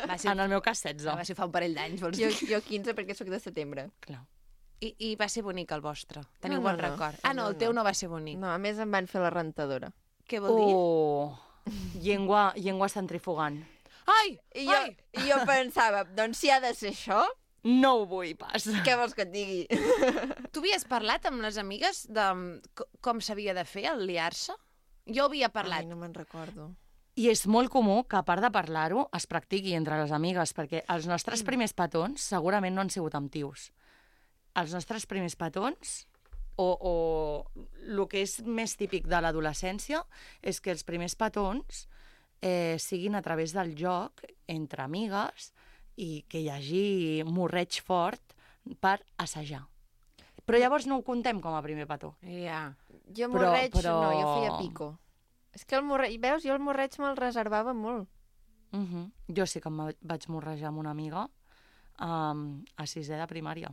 va ser, En el meu cas, 16. va ser fa un parell d'anys, vols Jo, dir? jo 15 perquè sóc de setembre. Clar. I va ser bonic el vostre. Teniu No, bon no. record. Ah, no, el teu no va ser bonic. No, a més em van fer la rentadora. Què vol dir? Llengua centrifugant. Ai! I jo pensava, doncs si ha de ser això, No ho vull pas. què vols que et digui? Tu havies parlat amb les amigues de com s'havia de fer el liar-se? Jo havia parlat. Ai, no me'n recordo. I és molt comú que, a part de parlar-ho, es practiqui entre les amigues, perquè els nostres primers petons segurament no han sigut amb tios. Els nostres primers petons, o el que és més típic de l'adolescència, és que els primers petons siguin a través del joc entre amigues i que hi hagi morreig fort per assajar. Però llavors no ho contem com a primer petó. Ja. Jo Però- morreig, però- no, jo feia pico. És que el morreig, veus, jo el morreig me'l reservava molt. Jo sí que em vaig morrejar amb una amiga a sisè de primària.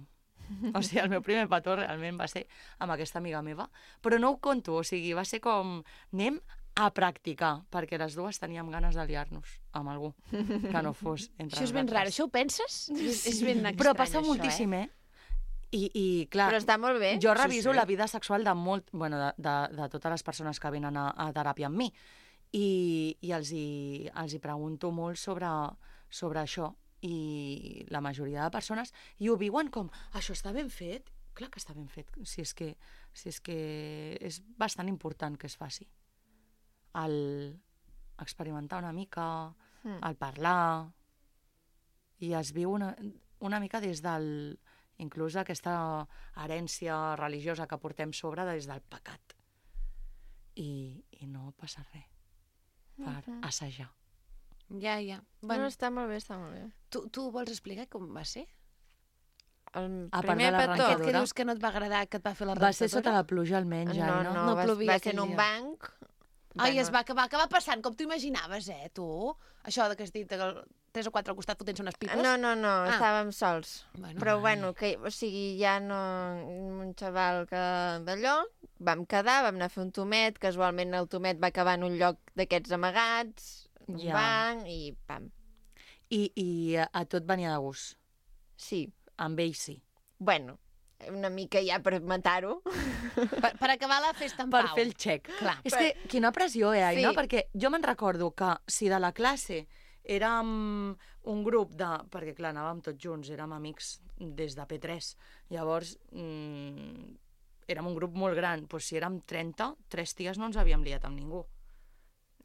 O sigui, el meu primer petó realment va ser amb aquesta amiga meva. Però no ho conto, o sigui, va ser com anem a practicar, perquè les dues teníem ganes de liar-nos amb algú que no fos entre Això és ben nosaltres. raro. Això ho penses? És ben estrany, Però passa això, moltíssim, I clar, Però està molt bé. jo reviso sí. la vida sexual de totes les persones que venen a teràpia amb mi i els hi pregunto molt sobre això, i la majoria de persones i ho viuen com, això està ben fet? Clar que està ben fet, si és que és bastant important que es faci. El experimentar una mica, el parlar, i es viu una mica des del... inclús aquesta herència religiosa que portem sobre des del pecat. I no passa res per assajar. Ja. Bueno, està molt bé, està molt bé. Tu vols explicar com va ser? El A part primer de la petó... rentadora. Aquest que dius que no et va agradar, que et va fer la Va rentadora? ser sota la pluja almenys, No, no? No va plovia ser en aquell un dia. banc. Ai, Bueno, es va acabar passant, com t'ho imaginaves, tu? Això que has dit, que 3 o 4 al costat fotent-se unes pipes? No, estàvem sols. Bueno. Però bueno, o sigui, ja no... Un xaval que d'allò, vam quedar, vam anar a fer un tomet, casualment el tomet va acabar en un lloc d'aquests amagats, un Ja. banc, i pam. I a tot venia de gust. Sí, Amb ell sí. bueno, una mica ja per matar-ho. Per acabar la festa en Per pau. fer el xec. Clar. És que quina pressió, Aina? Sí. Perquè jo me'n recordo que si de la classe érem un grup de... Perquè, clar, anàvem tots junts, érem amics des de P3. Llavors, érem un grup molt gran. Doncs si érem 30, 3 ties no ens havíem liat amb ningú.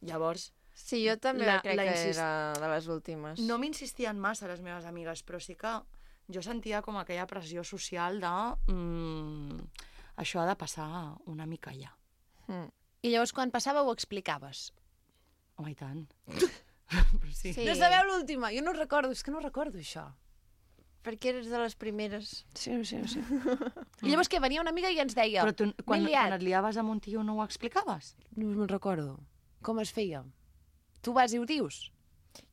Llavors, Sí, jo també La- crec la que insist- era de les últimes. no m'insistien massa les meves amigues, però sí que jo sentia com aquella pressió social de... això ha de passar una mica ja. I llavors, quan passava, ho explicaves. Home, i tant. Però sí. Sí. No sabeu l'última? Jo no ho recordo, és que no recordo això. Perquè eres de les primeres. Sí. I llavors què, venia una amiga i ens deia... Però tu, quan "M'he liat". et liaves amb un tio no ho explicaves? No me'n recordo. Com es feia? Tu vas i ho dius?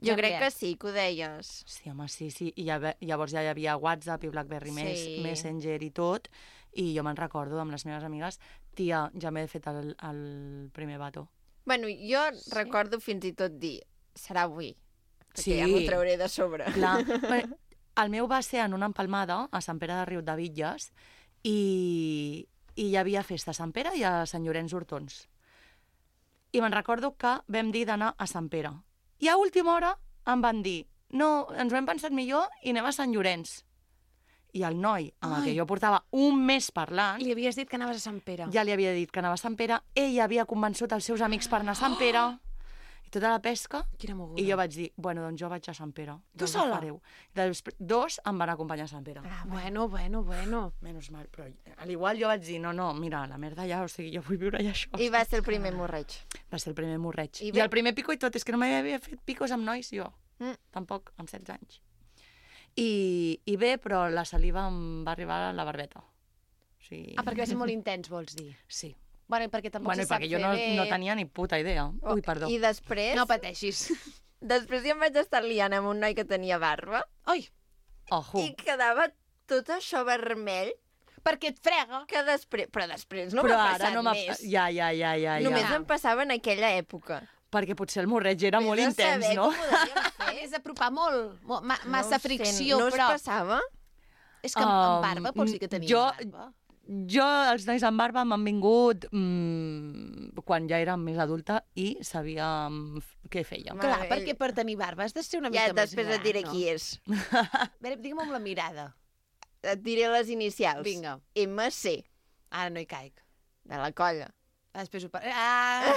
Jo crec que sí, que ho deies. Sí, home, sí. I llavors ja hi havia WhatsApp i BlackBerry Sí. Messenger i tot, i jo me'n recordo amb les meves amigues, tia, ja m'he fet el primer bato. Bueno, jo recordo fins i tot dir, serà avui, perquè Sí. ja m'ho trauré de sobre. Clar, bueno, el meu va ser en una empalmada a Sant Pere de Riudebitlles i hi havia festa a Sant Pere i a Sant Llorenç d'Hortons. I me'n recordo que vam dir d'anar a Sant Pere. I a última hora em van dir no, ens ho hem pensat millor i anem a Sant Llorenç. I el noi, amb el que jo portava un mes parlant, Li havies dit que anaves a Sant Pere. ja li havia dit que anava a Sant Pere, ell havia convençut els seus amics per anar a Sant Pere, tota la pesca, Quina moguda. i jo vaig dir, bueno, doncs jo vaig a Sant Pere. Tu doncs ho sola? fareu. Dos em van acompanyar a Sant Pere. Ah, bueno. Menys mal, però a l'igual jo vaig dir, no, mira, la merda ja, o sigui, jo vull viure allà això. I va ser el primer morreig. Va ser el primer morreig. I I, bé- el primer pico i tot, és que no m'havia fet picos amb nois, jo. Mm. Tampoc, amb 16 anys. I bé, però la saliva em va arribar a la barbeta. O sigui... Ah, perquè va ser molt intens, vols dir? Sí. Bueno, i perquè tampoc Bueno, se i sap perquè jo fer bé... no tenia ni puta idea. Ui, perdó. I després... No pateixis. Després ja em vaig estar liant amb un noi que tenia barba Oi, Ojo. i quedava tot això vermell perquè et frega. que després... Però després no Però m'ha ara passat no m'ha... més. Ja. Només em passava en aquella època. Perquè potser el morreig era molt Vés a intens, saber no? com ho devíem fer. És apropar molt, massa No ho sé, fricció, no us però... passava? És que amb barba vols dir que tenia barba? Jo, els nois amb barba m'han vingut quan ja érem més adulta i sabíem què fèiem. Ma- Clar, ell- perquè per tenir barba has de ser una Ja, mica més després gran, et diré no? qui és. A veure, digue'm amb la mirada. Et diré les inicials. Vinga. MC, Ara no hi caic. de la colla. Després ho Ah!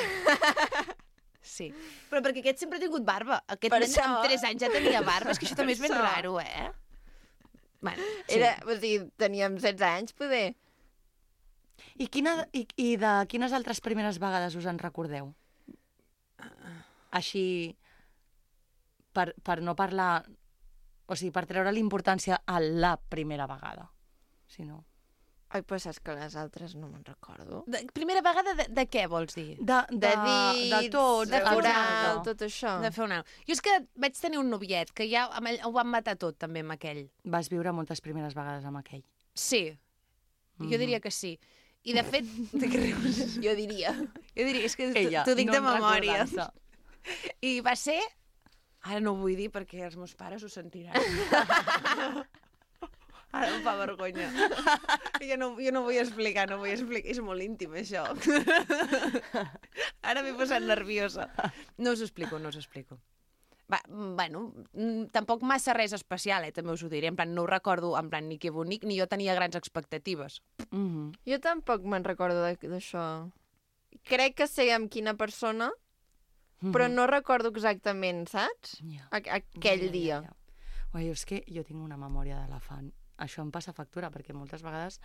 Sí. Però perquè aquest sempre ha tingut barba. Aquest Per nen això. amb 3 anys ja tenia barba. És que això també és ben això. raro, eh? Bueno, sí. Era, o sigui, teníem 16 anys, poder. I de quines altres primeres vegades us en recordeu? Així, per no parlar... O sigui, per treure l'importància a la primera vegada. Si no... Ai, però saps que les altres no me'n recordo. Primera vegada de què vols dir? De dits, de tot, de exacte. oral, tot això. De fer una... Jo és que vaig tenir un noviet, que ja amb ell, ho van matar tot, també, amb aquell. Vas viure moltes primeres vegades amb aquell. Sí, jo diria que sí. I, de fet... De què rius? Jo diria. Jo diria, és que Ella, t'ho dic no de memòria. recordant-se. I va ser... Ara no ho vull dir perquè els meus pares ho sentiran. Ara em fa vergonya. Jo no vull explicar, És molt íntim, això. Ara m'he posat nerviosa. No us ho explico. Va, bueno, tampoc massa res especial, també us ho diré. En plan, no ho recordo, en plan, ni que bonic, ni jo tenia grans expectatives. Jo tampoc me'n recordo d'això. Crec que sé amb quina persona, però no recordo exactament, saps? Ja. Aquell dia. Ui, és que jo tinc una memòria d'elefant. Això em passa factura, perquè moltes vegades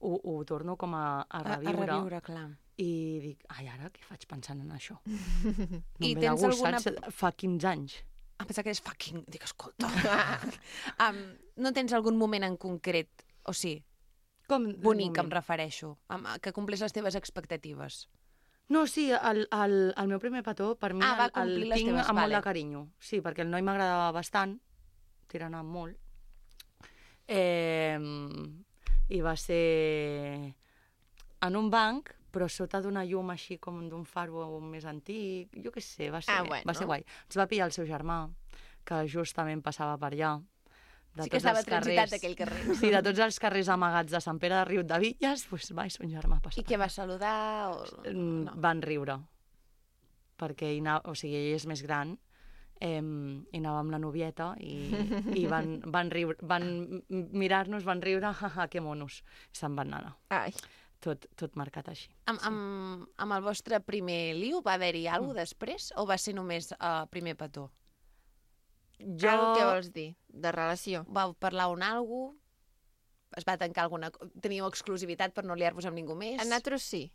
ho torno com a reviure. A reviure, clar. I dic, ai, ara què faig pensant en això? No I em ve de tens gust, alguna- saps? Fa 15 anys. Em pensava que és fucking... Dic, escolta. No tens algun moment en concret, o sí, Com bonic, em refereixo, que complís les teves expectatives? No, sí, el meu primer petó, per mi, Va el complir les tinc teves, amb molt vale. de carinyo. Sí, perquè el noi m'agradava bastant, tirant amb molt. I va ser en un banc, però sota d'una llum així com d'un faro més antic. Jo què sé, va ser, bueno. va ser guai. Ens va pillar el seu germà, que justament passava per allà. De Sí que tots estava els transitat carrers- aquell carrer. Sí, de tots els carrers amagats de Sant Pere de Riudebitlles, doncs va, i son germà passava. I què va saludar? O... No. Van riure, perquè o sigui, ell és més gran, i anava amb la novieta i van riure, van mirar-nos, van riure, jaja, que monos, i se'n van anar. Ai. Tot marcat així. Amb el vostre primer liu va haver-hi alguna cosa després o va ser només primer petó? Què vols dir? De relació? Vau parlar un algo? Es va tancar alguna... Teníeu exclusivitat per no liar-vos amb ningú més? A nosaltres sí.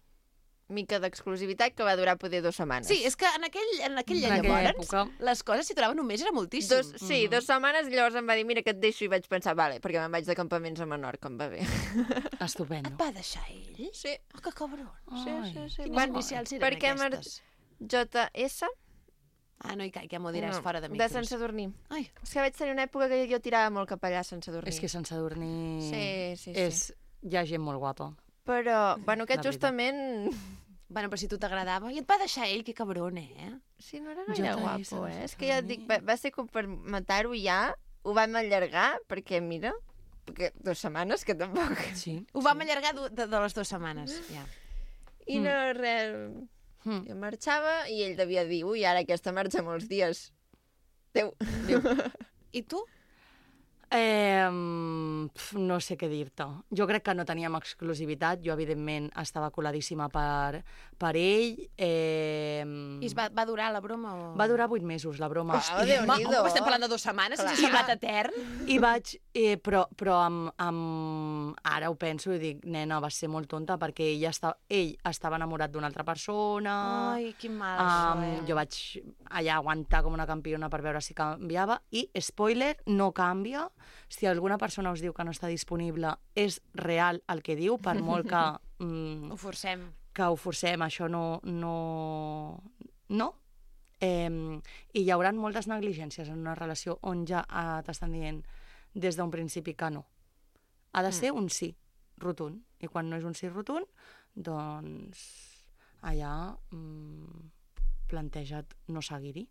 Mica d'exclusivitat que va durar poder 2 setmanes. Sí, és que en aquella En aquella llavors època. les coses si duraven un mes era moltíssim. Sí, 2 setmanes, i llavors em va dir, mira, que et deixo, i vaig pensar, vale, perquè me'n vaig de campaments a Menorca, em va bé. Estupendo. Va deixar ell? Sí. Oh, que cabron. Ai. Quines inicials eren perquè aquestes? JS? Ah, no hi caic, ja m'ho diràs No, fora de de micros. Sant Sadurní. Ai, És que vaig tenir una època que jo tirava molt cap allà a Sant Sadurní. És que Sant Sadurní Sí. hi ha gent molt guapa. Però, bueno, aquest La veritat. justament... bueno, però si tu t'agradava... I et va deixar ell, que cabron, eh? Sí, no era JS, gaire guapo, Sant És que ja et dic, Sadurní. va ser com per matar-ho ja, ho vam allargar, perquè, mira, perquè 2 setmanes, que tampoc... Sí. Ho vam allargar de les 2 setmanes, ja. I no, res... Mm. Jo marxava i ell devia dir, ui, ara aquesta marxa molts dies. Adéu. I tu? No sé què dir-te. Jo crec que no teníem exclusivitat. Jo, evidentment, estava coladíssima per ell. I va durar la broma? O... Va durar 8 mesos, la broma. Déu-n'hi-do. Estem parlant de 2 setmanes, ens ha semblat etern. I vaig... però ara ho penso i dic, nena, vas ser molt tonta perquè ell estava enamorat d'una altra persona. Ai, quin mal, això, Jo vaig allà aguantar com una campiona per veure si canviava i, spoiler, no canvia. Si alguna persona us diu que no està disponible, és real el que diu, per molt que... Ho forcem. Que ho forcem, això no. I hi haurà moltes negligències en una relació on ja t'estan dient des d'un principi que no. Ha de ser un sí rotund. I quan no és un sí rotund, doncs allà planteja't no seguir-hi.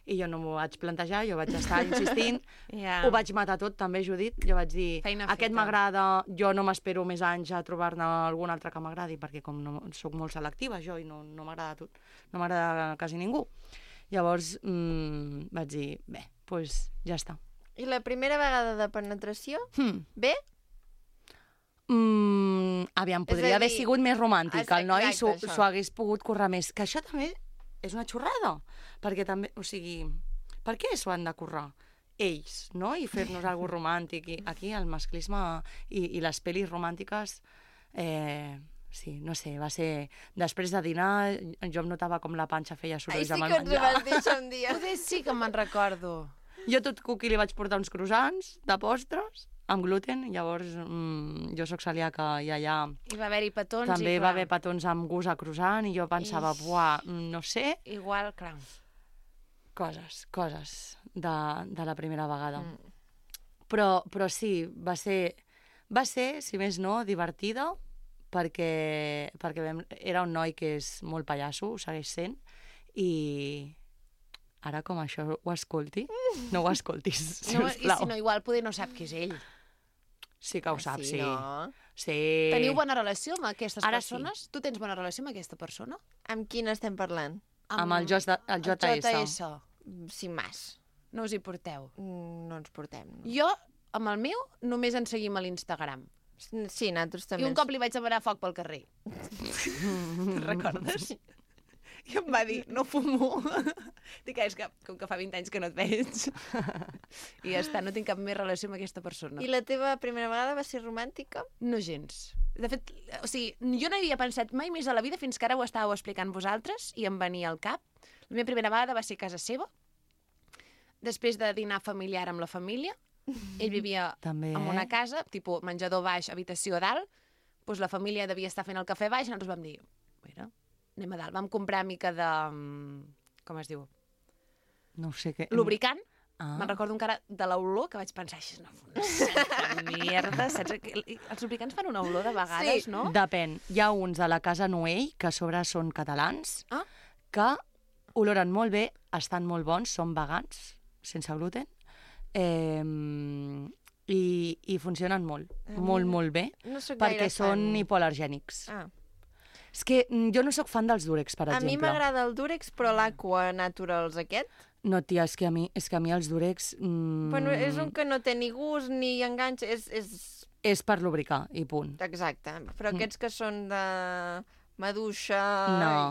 I jo no m'ho vaig plantejar, jo vaig estar insistint, ho vaig matar tot també, Judit, jo vaig dir, aquest m'agrada, jo no m'espero més anys a trobar-ne algun altre que m'agradi, perquè com no, soc molt selectiva jo i no m'agrada tot, no m'agrada quasi ningú. Llavors vaig dir, bé, doncs ja està. I la primera vegada de penetració, bé? Aviam, podria haver sigut més romàntic, el noi s'ho hagués pogut currar més, que això també és una xorrada, perquè també, o sigui, per què s'ho han de currar? Ells, no? I fer-nos alguna cosa romàntic. I aquí el masclisme i les pel·lis romàntiques, sí, no sé, va ser... Després de dinar, jo em notava com la panxa feia sorolls amb el menjar. Ai, sí que ens ho vas dir això un dia. Poder sí que me'n recordo. Jo tot cuqui li vaig portar uns croissants de postres, amb gluten, llavors jo soc celíaca i allà... I va haver-hi petons també va haver petons amb gust a croissant i jo pensava, buah, no sé... Igual, clar. Coses de la primera vegada. Però sí, va ser, si més no, divertida, perquè era un noi que és molt pallasso, ho segueix sent, i... Ara, com això ho escolti, no ho escoltis, sisplau. I si no, igual poder no sap qui és ell. Sí que ho sap, sí. No? Sí. Teniu bona relació amb aquestes Ara persones? sí. Tu tens bona relació amb aquesta persona? Amb quin estem parlant? Amb el JS. Sin más. No us hi porteu? No ens portem. No. Jo, amb el meu, només ens seguim a l'Instagram. Sí, nosaltres també. I un cop li vaig demanar foc pel carrer. Recordes? I em va dir, no fumo. Dic, és que com que fa 20 anys que no et veig. I ja està, no tinc cap més relació amb aquesta persona. I la teva primera vegada va ser romàntica? No gens. De fet, o sigui, jo no hi havia pensat mai més a la vida fins que ara ho estàveu explicant vosaltres i em venia al cap. La meva primera vegada va ser a casa seva, després de dinar familiar amb la família. Ell vivia també, en una casa, tipus menjador baix, habitació dalt, doncs la família devia estar fent el cafè baix i nosaltres vam dir, mira, anem a dalt. Vam comprar mica de... com es diu? No sé què... Lubricant. Me'n recordo encara de l'olor que vaig pensar, això és una santa mierda, saps? Els lubricants fan una olor de vegades, sí. No? Depèn. Hi ha uns de la Casa Noell, que a sobre són catalans, que oloren molt bé, estan molt bons, són vegans, sense gluten, i funcionen molt, molt bé, no perquè són hipoal·lergènics. És que jo no sóc fan dels Durex, per exemple. A mi m'agrada el Durex, però l'Aqua Naturals aquest... No, tia, és que a mi els Durex... Bueno, és un que no té ni gust ni enganxa, és per lubricar, i punt. Exacte, però aquests que són de maduixa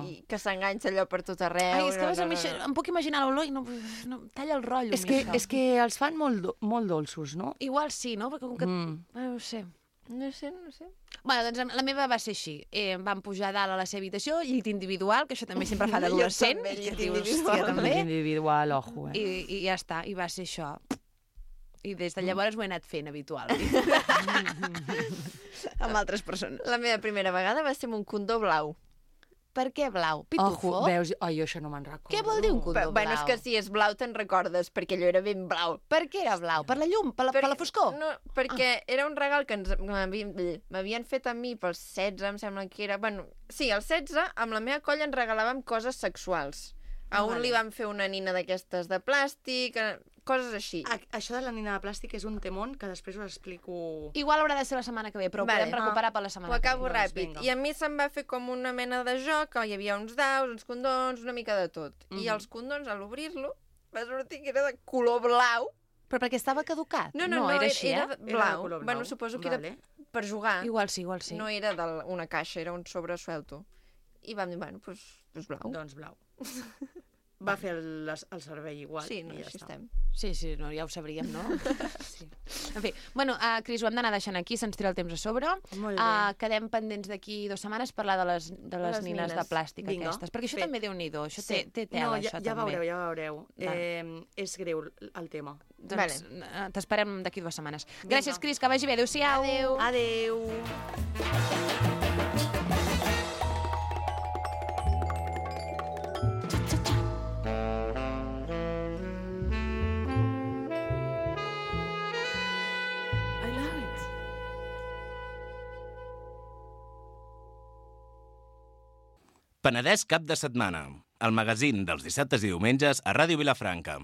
i que s'enganxa allò per tot arreu... Ai, és que em puc imaginar l'olor i no talla el rotllo. És que els fan molt dolços, no? Igual sí, no? Perquè com que... No ho sé. No sé. Bueno, doncs la meva va ser així. Vam pujar dalt a la seva habitació, llit individual, que això també sempre fa d'adolescent. Llit individual. Llit individual, ojo, I ja està, i va ser això. I des de llavors ho he anat fent habitual. Amb altres persones. La meva primera vegada va ser amb un condó blau. Per què blau? Pitufo? Ojo, veus? Ai, jo això no me'n recordo. Què vol dir un condó blau? Bueno, és que si és blau te'n recordes, perquè allò era ben blau. Per què era blau? Per la llum? Per la foscor? No, perquè era un regal que m'havien fet a mi pels 16, em sembla que era... Bueno, sí, als 16, amb la meva colla ens regalàvem coses sexuals. A un li vam fer una nina d'aquestes de plàstic, coses així. Això de la nina de plàstic és un temón que després us explico... Igual haurà de ser la setmana que ve, però ho podem recuperar per la setmana que ve. Ho acabo ràpid. I a mi se'm va fer com una mena de joc, que hi havia uns daus, uns condons, una mica de tot. I els condons, a l'obrir-lo, va sortir que era de color blau. Però perquè estava caducat? No, era així, era eh? Era de blau. color blau. Bueno, suposo que Vale. era per jugar. Igual sí. No era d'una caixa, era un sobresuelto. I vam dir, bueno, doncs blau. Doncs blau. Va fer el servei igual. Sí, no, i ja així està. estem. Sí, no, ja ho sabríem, no? Sí. En fi, bueno, Cris, ho hem d'anar deixant aquí, se'ns tira el temps a sobre. Molt bé. Quedem pendents d'aquí 2 setmanes parlar de les Les nines de nines. plàstic Vinga, aquestes, perquè això fet. també déu-n'hi-do, això Sí. té tela, No, això ja també. veureu. És greu el tema. Doncs t'esperem d'aquí 2 setmanes. Gràcies, Cris, que vagi bé. Adéu-siau. Adéu. Adeu. I love it. Penedès cap de setmana, el magazín dels dissabtes i diumenges a Ràdio Vilafranca.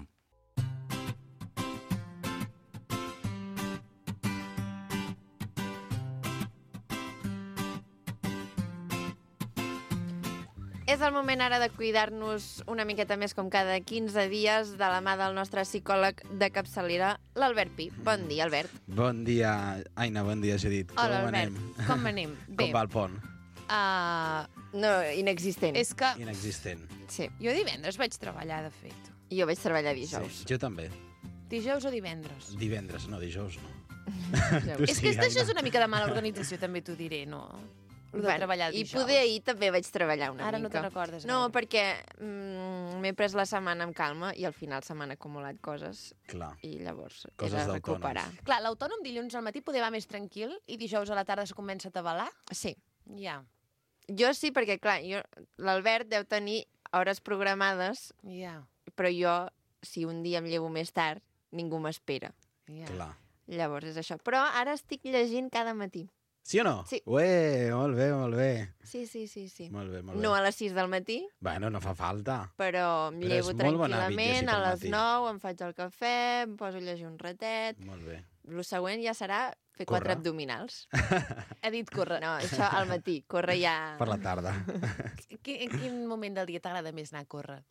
És el moment ara de cuidar-nos una miqueta més com cada 15 dies de la mà del nostre psicòleg de capçalera, l'Albert Pi. Bon dia, Albert. Bon dia, Aina, bon dia, Judit. Hola, Com Albert. anem? Com anem? Bé, Com va el pont? No, inexistent. és que Inexistent. Sí, jo divendres vaig treballar, de fet. jo vaig treballar dijous. Sí, jo també. Dijous o divendres? Divendres, no, dijous no. Dijous. És que això és una mica de mala organització, també t'ho diré, no? Lo de treballar I dijous. poder ahir també vaig treballar una Ara no mica. te'n recordes No, gaire. perquè m'he pres la setmana amb calma i al final se m'han acumulat coses Clar. i llavors Coses he de d'autònoms. recuperar. Clar, l'autònom dilluns al matí poder va més tranquil i dijous a la tarda se comença a tabalar? Sí. Ja, Jo sí, perquè clar, l'Albert deu tenir hores programades, ja, però jo, si un dia em llevo més tard, ningú m'espera. ja. Clar. Llavors és això. Però ara estic llegint cada matí. Sí o no? Sí. Ué, molt bé, molt bé. Sí. Molt bé, molt bé. No a les 6 del matí, Bueno, no fa falta. però em Però llevo és molt bon hàbit tranquil·lament, llegir a pel les matí. 9 em faig el cafè, em poso a llegir un ratet. Molt bé. El següent ja serà fer Córrer. 4 abdominals. Ha dit córrer. No, això al matí, córrer ja... Per la tarda. En quin moment del dia t'agrada més anar a córrer?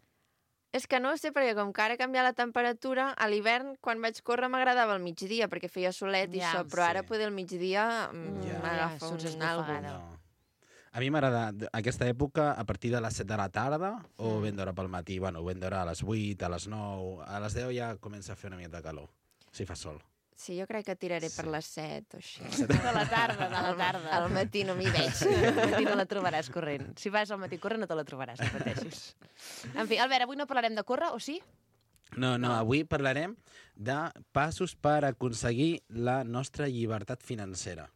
És que no ho sé, perquè com que ara ha canviat la temperatura, a l'hivern, quan vaig córrer, m'agradava al migdia, perquè feia solet i Ja, això, però ara sí. poder al migdia Ja. m'agafa surts un esbufegada. algo. No. A mi m'agrada aquesta època a partir de les 7 de la tarda o ben d'hora pel matí. Bueno, ben d'hora a les 8, a les 9... A les 10 ja comença a fer una mica de calor, si fa sol. Sí, jo crec que tiraré per Sí. les 7 o així. De la tarda. Al matí no m'hi veig. Al matí no la trobaràs corrent. Si vas al matí a córrer no te la trobaràs, no pateixis. En fi, Albert, avui no parlarem de córrer, o sí? No, avui parlarem de passos per aconseguir la nostra llibertat financera.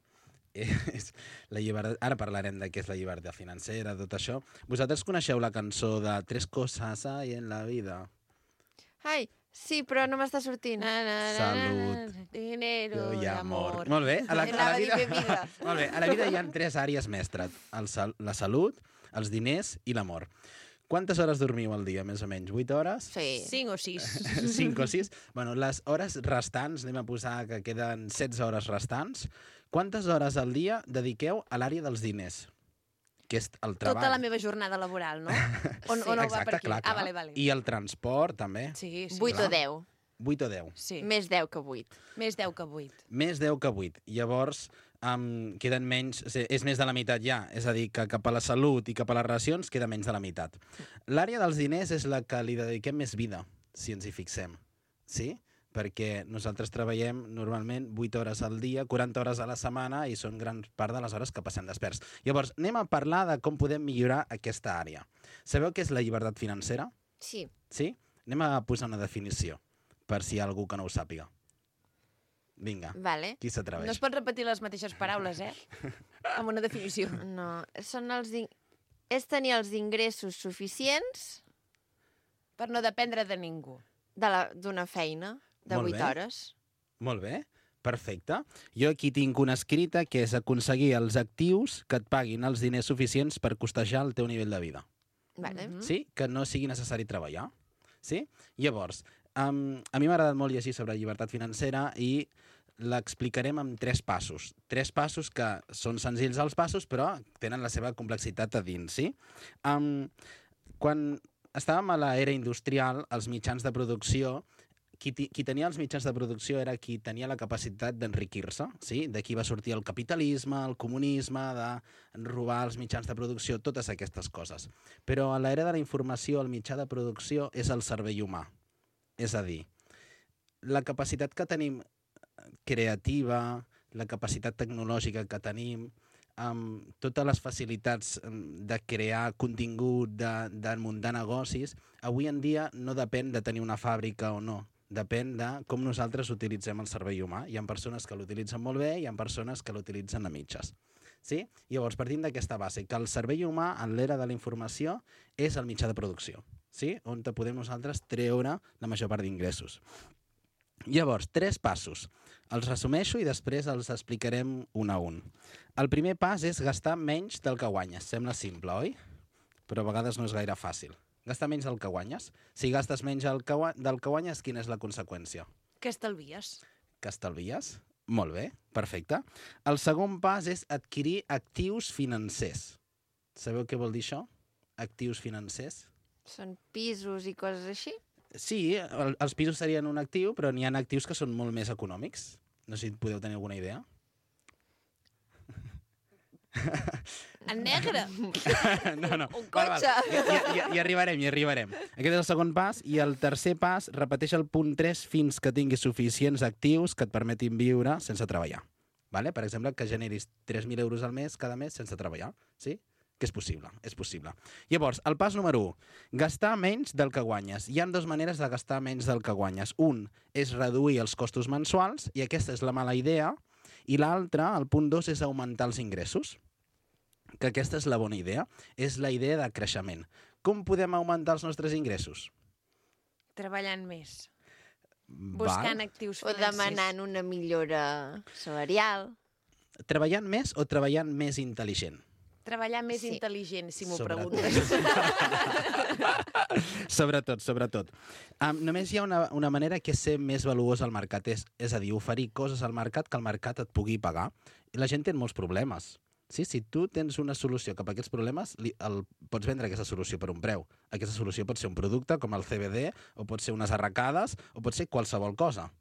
La llibertat... Ara parlarem de què és la llibertat financera, tot això. Vosaltres coneixeu la cançó de Tres cosas hay en la vida? Ai, sí, però no m'està sortint. Salut, dinero i i amor. amor. Molt bé. A la Anava a dir vida... que vida. Molt bé. A la vida hi ha 3 àrees mestres. La salut, els diners i l'amor. Quantes hores dormiu al dia, més o menys? 8 hores? Sí. 5 o 6. 5 o 6? Bueno, les hores restants, anem a posar que queden 16 hores restants. Quantes hores al dia dediqueu a l'àrea dels diners? Que és el treball. Tota la meva jornada laboral, no? O no va Exacte, per aquí? clar. Ah, vale. I el transport, també. Sí. 8 o 10. 8 o 10. Sí. Més 10 que 8. Més 10 que 8. Més 10 que 8. Llavors, queden menys... És més de la meitat ja. És a dir, que cap a la salut i cap a les relacions queda menys de la meitat. L'àrea dels diners és la que li dediquem més vida, si ens hi fixem. Sí? Perquè nosaltres treballem normalment 8 hores al dia, 40 hores a la setmana i són gran part de les hores que passem desperts. Llavors, anem a parlar de com podem millorar aquesta àrea. Sabeu què és la llibertat financera? Sí. Sí? Anem a posar una definició, per si hi ha algú que no ho sàpiga. Vinga, Vale. qui s'atreveix? No es pot repetir les mateixes paraules, amb una definició. No, és tenir els ingressos suficients Per no dependre de ningú. d'una feina de Molt 8 bé. hores. Molt bé, perfecte. Jo aquí tinc una escrita que és aconseguir els actius que et paguin els diners suficients per costejar el teu nivell de vida. Vale. Sí? Que no sigui necessari treballar. Sí? Llavors, a mi m'ha agradat molt llegir sobre llibertat financera i l'explicarem amb 3 passos. 3 passos que són senzills els passos, però tenen la seva complexitat a dins, sí? Quan estàvem a l'era industrial, els mitjans de producció qui tenia els mitjans de producció era qui tenia la capacitat d'enriquir-se, sí? D'aquí va sortir el capitalisme, el comunisme, de robar els mitjans de producció, totes aquestes coses. Però a l'era de la informació, el mitjà de producció és el cervell humà. És a dir, la capacitat que tenim creativa, la capacitat tecnològica que tenim, amb totes les facilitats de crear contingut, de muntar negocis, avui en dia no depèn de tenir una fàbrica o no. Depèn de com nosaltres utilitzem el cervell humà. Hi ha persones que l'utilitzen molt bé, hi ha persones que l'utilitzen a mitges. Sí? Llavors, partim d'aquesta base, que el cervell humà, en l'era de la informació, és el mitjà de producció, sí? On podem nosaltres treure la major part d'ingressos. Llavors, 3 passos. Els resumeixo i després els explicarem un a un. El primer pas és gastar menys del que guanyes. Sembla simple, oi? Però a vegades no és gaire fàcil. Gastar menys del que guanyes. Si gastes menys del que guanyes, quina és la conseqüència? Que estalvies. Que estalvies? Molt bé, perfecte. El segon pas és adquirir actius financers. Sabeu què vol dir això? Actius financers? Són pisos i coses així? Sí, els pisos serien un actiu, però n'hi ha actius que són molt més econòmics. No sé si podeu tenir alguna idea. En negre. No. Un cotxe. Hi arribarem. Aquest és el segon pas. I el tercer pas, repeteix el punt 3 fins que tinguis suficients actius que et permetin viure sense treballar. Vale? Per exemple, que generis 3.000 euros al mes cada mes sense treballar. Sí? Que és possible, és possible. Llavors, el pas número 1, gastar menys del que guanyes. Hi ha 2 maneres de gastar menys del que guanyes. Un és reduir els costos mensuals, i aquesta és la mala idea, i l'altre, el punt 2, és augmentar els ingressos, que aquesta és la bona idea, és la idea de creixement. Com podem augmentar els nostres ingressos? Treballant més. Buscant actius O financers. demanant una millora salarial. Treballant més o treballant més intel·ligent? Treballar més Sí. intel·ligent, si m'ho Sobretot. preguntes. Sobretot. Només hi ha una manera que és ser més valuós al mercat, és a dir, oferir coses al mercat que el mercat et pugui pagar. I la gent té molts problemes. Sí, si tu tens una solució cap a aquests problemes, pots vendre aquesta solució per un preu. Aquesta solució pot ser un producte com el CBD, o pot ser unes arracades, o pot ser qualsevol cosa.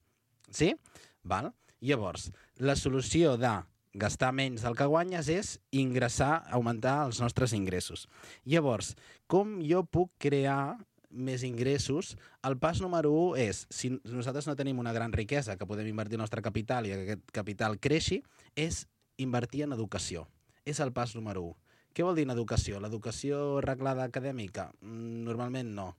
Sí? Val? Llavors, la solució de gastar menys del que guanyes és ingressar, augmentar els nostres ingressos. Llavors, com jo puc crear més ingressos? El pas número 1 és, si nosaltres no tenim una gran riquesa que podem invertir el nostre capital i que aquest capital creixi, és invertir en educació. És el pas número 1. Què vol dir en educació? L'educació reglada acadèmica? Normalment no.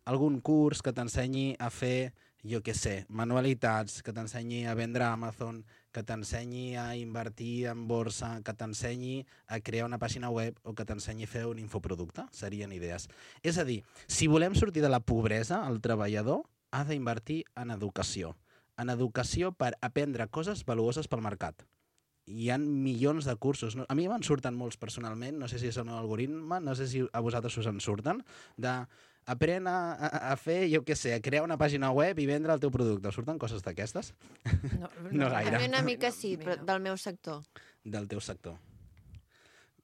Algun curs que t'ensenyi a fer, jo què sé, manualitats, que t'ensenyi a vendre a Amazon, que t'ensenyi a invertir en borsa, que t'ensenyi a crear una pàgina web o que t'ensenyi a fer un infoproducte. Serien idees. És a dir, si volem sortir de la pobresa, el treballador ha d'invertir en educació. En educació per aprendre coses valuoses pel mercat. Hi ha milions de cursos. A mi me'n surten molts personalment, no sé si és el meu algoritme, no sé si a vosaltres us en surten, aprèn a fer, jo què sé, a crear una pàgina web i vendre el teu producte. Us surten coses d'aquestes? No gaire. A mi una mica sí, però del meu sector. Del teu sector.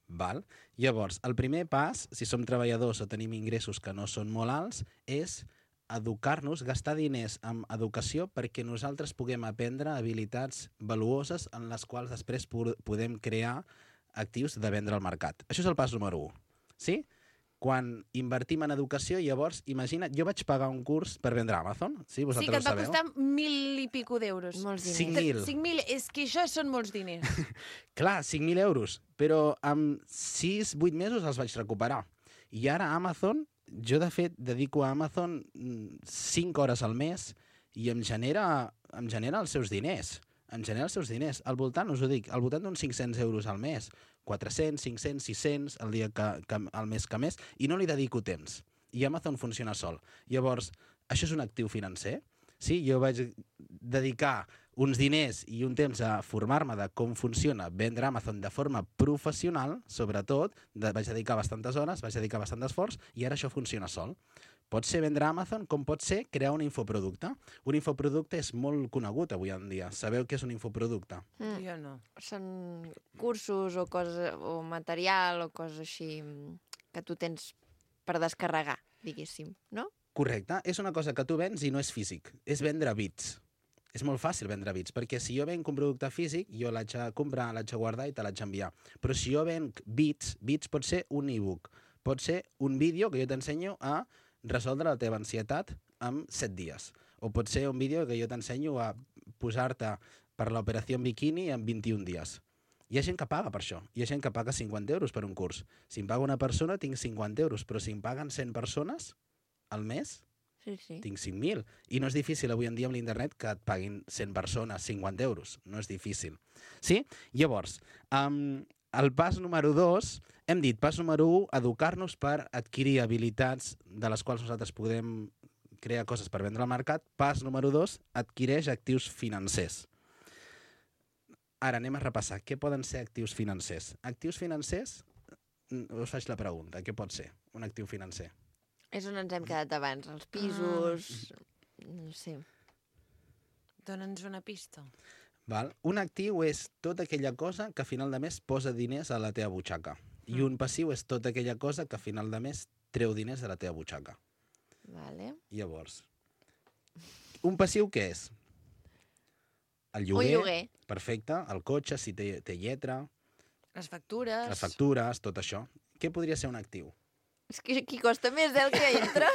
Val? Llavors, el primer pas, si som treballadors o tenim ingressos que no són molt alts, és educar-nos, gastar diners en educació perquè nosaltres puguem aprendre habilitats valuoses en les quals després podem crear actius de vendre al mercat. Això és el pas número 1. Sí? Quan invertim en educació, llavors, imagina't, jo vaig pagar un curs per vendre a Amazon. Sí, Sí, vosaltres que et va ho sabeu? costar 1.000 i pico d'euros. Molts diners. 5.000. 5.000, és que això són molts diners. Clar, 5.000 euros, però en 6-8 mesos els vaig recuperar. I ara Amazon, jo de fet dedico a Amazon 5 hores al mes i em genera els seus diners. Em genera els seus diners. Al voltant, us ho dic, al voltant d'uns 500 euros al mes. 400, 500, 600 al dia al mes que més, i no li dedico temps. I Amazon funciona sol. Llavors, això és un actiu financer? Sí, jo vaig dedicar uns diners i un temps a formar-me de com funciona vendre Amazon de forma professional, sobretot, vaig dedicar bastantes hores, vaig dedicar bastant d'esforç, i ara això funciona sol. Pot ser vendre Amazon com pot ser crear un infoproducte. Un infoproducte és molt conegut avui en dia. Sabeu què és un infoproducte? Jo no. Són cursos o coses, o material o coses així que tu tens per descarregar, diguéssim, no? Correcte. És una cosa que tu vens i no és físic. És vendre bits. És molt fàcil vendre bits, perquè si jo venc un producte físic, jo l'haig de comprar, l'haig de guardar i te l'haig d'enviar. Però si jo venc bits pot ser un e-book, pot ser un vídeo que jo t'ensenyo a resoldre la teva ansietat en 7 dies. O pot ser un vídeo que jo t'ensenyo a posar-te per l'operació en bikini en 21 dies. Hi ha gent que paga per això. Hi ha gent que paga 50 euros per un curs. Si em paga una persona, tinc 50 euros, però si em paguen 100 persones al mes, Sí. tinc 5.000. I no és difícil avui en dia amb l'internet que et paguin 100 persones 50 euros. No és difícil. Sí? Llavors, el pas número 2, hem dit, pas número 1, educar-nos per adquirir habilitats de les quals nosaltres podem crear coses per vendre al mercat. Pas número 2, adquireix actius financers. Ara anem a repassar. Què poden ser actius financers? Actius financers, us faig la pregunta. Què pot ser un actiu financer? És on ens hem quedat abans, els pisos... No sé. Dóna'ns una pista. Val? Un actiu és tota aquella cosa que a final de mes posa diners a la teva butxaca. I un passiu és tota aquella cosa que a final de mes treu diners de la teva butxaca. Vale. Llavors, un passiu què és? El lloguer. Un lloguer. Perfecte. El cotxe, si té lletra, Les factures... les factures, tot això. Què podria ser un actiu? És que aquí costa més el que entra.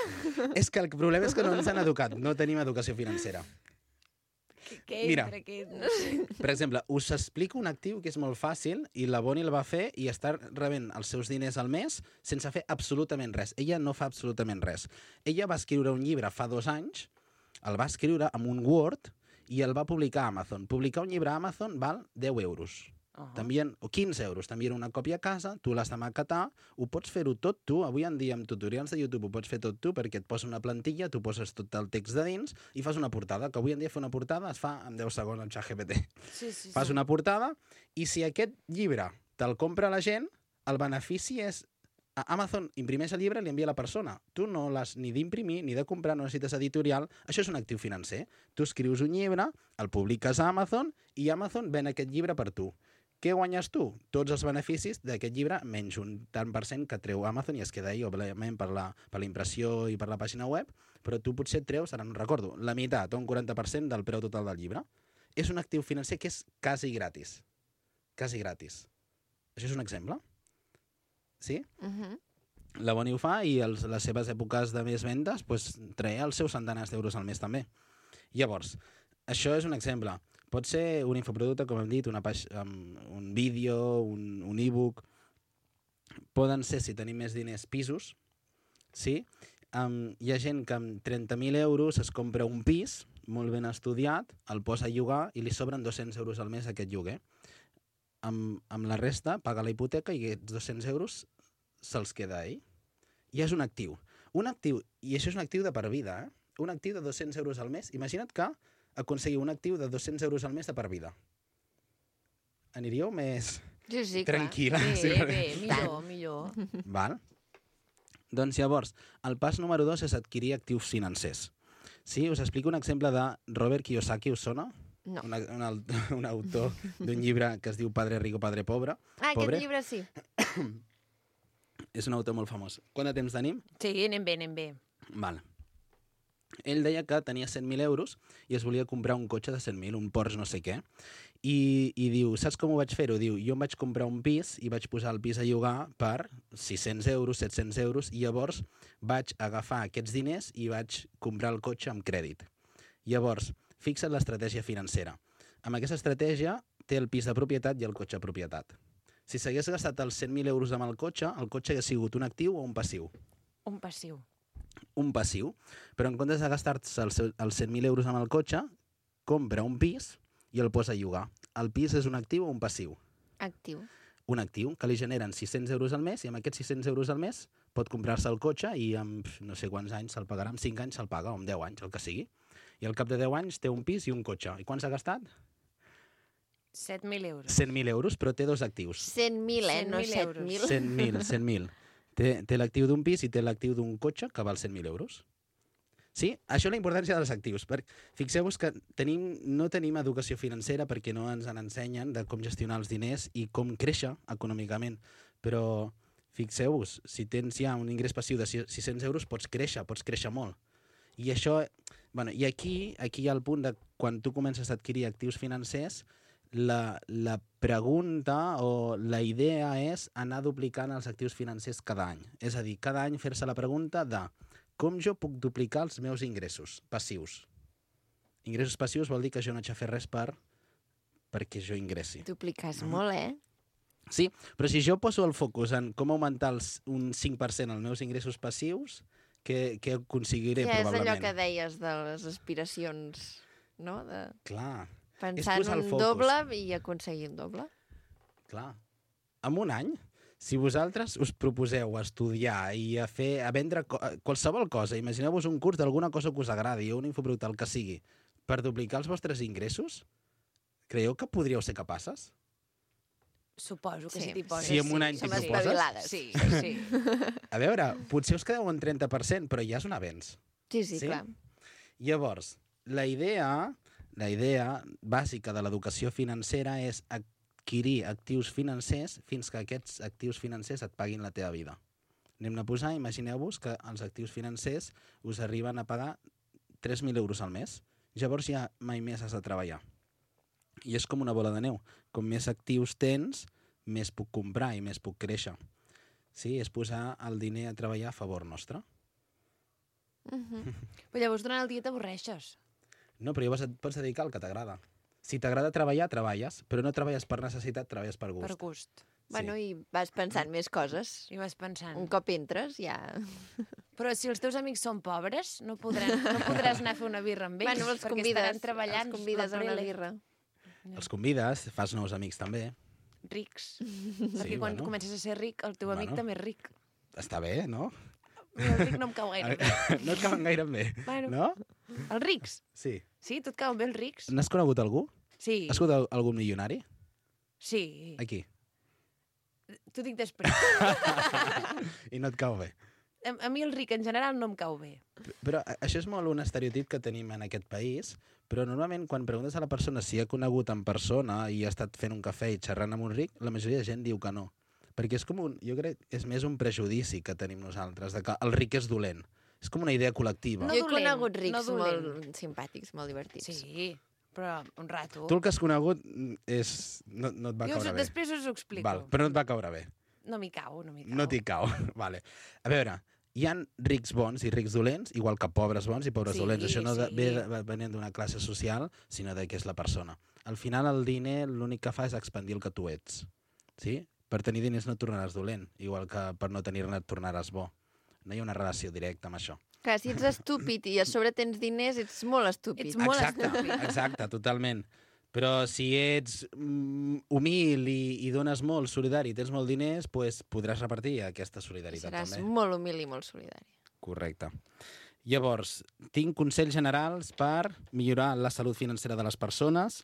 És que el problema és que no ens han educat, no tenim educació financera. Què Mira. entra? No sé. Per exemple, us explico un actiu que és molt fàcil i la Bonnie el va fer i està rebent els seus diners al mes sense fer absolutament res. Ella no fa absolutament res. Ella va escriure un llibre fa 2 anys, el va escriure amb un Word i el va publicar a Amazon. Publicar un llibre a Amazon val 10 euros. O 15 euros. T'envien una còpia a casa, tu l'has de maquetar, ho pots fer-ho tot tu. Avui en dia amb tutorials de YouTube ho pots fer tot tu perquè et posa una plantilla, tu poses tot el text de dins i fas una portada, que avui en dia fer una portada es fa en 10 segons amb ChatGPT. Sí. Fas una portada i si aquest llibre te'l compra la gent, el benefici és Amazon imprimeix el llibre i li envia a la persona. Tu no l'has ni d'imprimir ni de comprar, no necessites editorial. Això és un actiu financer. Tu escrius un llibre, el publiques a Amazon i Amazon ven aquest llibre per tu. Què guanyes tu? Tots els beneficis d'aquest llibre, menys un tant per cent que treu Amazon i es queda ahí, òbviament, per la impressió i per la pàgina web, però tu potser et treus, ara no recordo, la meitat o un 40% del preu total del llibre. És un actiu financer que és quasi gratis. Quasi gratis. Això és un exemple? Sí? La Bonnie ho fa i les seves èpoques de més vendes treia els seus centenars d'euros al mes també. Llavors, això és un exemple. Pot ser un infoproducte, com hem dit, un vídeo, un e-book. Poden ser, si tenim més diners, pisos. Sí? Hi ha gent que amb 30.000 euros es compra un pis, molt ben estudiat, el posa a llogar i li sobren 200 euros al mes aquest lloguer. Amb la resta paga la hipoteca i aquests 200 euros se'ls queda ell. I és un actiu. Un actiu, i això és un actiu de per vida, un actiu de 200 euros al mes. Imagina't que aconseguir un actiu de 200 euros al mes de per vida. Aniríeu més Sí, tranquil·la? Bé, millor. Val? Doncs llavors, el pas número 2 és adquirir actius financers. Sí, us explico un exemple de Robert Kiyosaki, us sona? No. Un autor d'un llibre que es diu Padre Rico, Padre Pobre. Aquest llibre sí. És un autor molt famós. Quant de temps tenim? Sí, anem bé. Val. Ell deia que tenia 100.000 euros i es volia comprar un cotxe de 100.000, un Porsche no sé què. I diu, saps com ho vaig fer-ho? Diu, jo em vaig comprar un pis i vaig posar el pis a llogar per 600 euros, 700 euros, i llavors vaig agafar aquests diners i vaig comprar el cotxe amb crèdit. Llavors, fixa't l'estratègia financera. Amb aquesta estratègia té el pis de propietat i el cotxe de propietat. Si s'hagués gastat els 100.000 euros amb el cotxe hauria sigut un actiu o un passiu? Un passiu. Un passiu, però en comptes de gastar-se els 100.000 euros amb el cotxe, compra un pis i el posa a llogar. El pis és un actiu o un passiu? Actiu. Un actiu que li generen 600 euros al mes i amb aquests 600 euros al mes pot comprar-se el cotxe i amb no sé quants anys se'l pagarà, amb 5 anys se'l paga, o amb 10 anys, el que sigui. I al cap de 10 anys té un pis i un cotxe. I quants ha gastat? 7.000 euros. 100.000 euros, però té 2 actius. 100.000, no 100.000 7.000. 100.000. Té l'actiu d'un pis i té l'actiu d'un cotxe que val 100.000 euros. Sí? Això és la importància dels actius. Fixeu-vos que no tenim educació financera perquè no ens ensenyen de com gestionar els diners i com créixer econòmicament. Però fixeu-vos, si tens ja un ingrés passiu de 600 euros, pots créixer molt. I això... Bueno, i aquí hi ha el punt de quan tu comences a adquirir actius financers, la pregunta o la idea és anar duplicant els actius financers cada any. És a dir, cada any fer-se la pregunta de com jo puc duplicar els meus ingressos passius. Ingressos passius vol dir que jo no haig de fer res perquè jo ingressi. Dupliques molt, eh? Sí, però si jo poso el focus en com augmentar un 5% els meus ingressos passius, què aconseguiré probablement? És allò que deies de les aspiracions, no? De Clar. pensar en un doble i aconseguir un doble. Clar. En un any, si vosaltres us proposeu estudiar i a vendre qualsevol cosa, imagineu-vos un curs d'alguna cosa que us agradi o un infoproducte, el que sigui, per duplicar els vostres ingressos, creieu que podríeu ser capaces? Suposo que Sí. si t'hi poses. Si en un any t'hi Som proposes... espavilades. Sí, sí. A veure, potser us quedeu en 30%, però ja és un avenç. Sí, Sí? clar. Llavors, la idea bàsica de l'educació financera és adquirir actius financers fins que aquests actius financers et paguin la teva vida. Anem a posar, imagineu-vos que els actius financers us arriben a pagar 3.000 euros al mes. Llavors ja mai més has de treballar. I és com una bola de neu. Com més actius tens, més puc comprar i més puc créixer. Sí, és posar el diner a treballar a favor nostre. Però llavors durant el dia t'avorreixes. No, però llavors et pots dedicar al que t'agrada. Si t'agrada treballar, treballes, però no treballes per necessitat, treballes per gust. Per gust. Bueno, i vas pensant més coses. I vas pensant. Un cop entres, ja... Però si els teus amics són pobres, no podràs anar a fer una birra amb ells, Bueno, els perquè convides, estaran treballant. els convides a una prele. birra. Els convides, fas nous amics també. Rics. Perquè quan bueno. comences a ser ric, el teu amic Bueno. també és ric. Està bé, no? El ric no em cau gaire bé. No et cauen gaire bé, Bueno. no? Els rics? Sí. Sí, tu et cauen bé els rics? N'has conegut algú? Sí. Has conegut algun milionari? Sí. Aquí. T'ho dic després. I no et cau bé. A mi el ric en general no em cau bé. Però això és molt un estereotip que tenim en aquest país, però normalment quan preguntes a la persona si ha conegut en persona i ha estat fent un cafè i xerrant amb un ric, la majoria de gent diu que no. Perquè és com jo crec que és més un prejudici que tenim nosaltres, de que el ric és dolent. És com una idea col·lectiva. No Jo he dolent, conegut rics no dolent. molt simpàtics, molt divertits. Sí, però un rato. Tu el que has conegut és... no et va caure bé. Després us ho explico. Val, però no et va caure bé. No m'hi cau, no m'hi cau. No t'hi cau. Vale. A veure, hi ha rics bons i rics dolents, igual que pobres bons i pobres Sí, dolents. Això no sí. venint d'una classe social, sinó de què és la persona. Al final, el diner l'únic que fa és expandir el que tu ets. Sí? Per tenir diners no et tornaràs dolent, igual que per no tenir-ne et tornaràs bo. No hi ha una relació directa amb això. Clar, si ets estúpid i a sobre tens diners, ets molt estúpid. Ets molt Exacte, estúpid. exacte, totalment. Però si ets humil i dones molt, solidari, i tens molt diners, pues podràs repartir aquesta solidaritat Seràs també. molt humil i molt solidari. Correcte. Llavors, tinc consells generals per millorar la salut financera de les persones.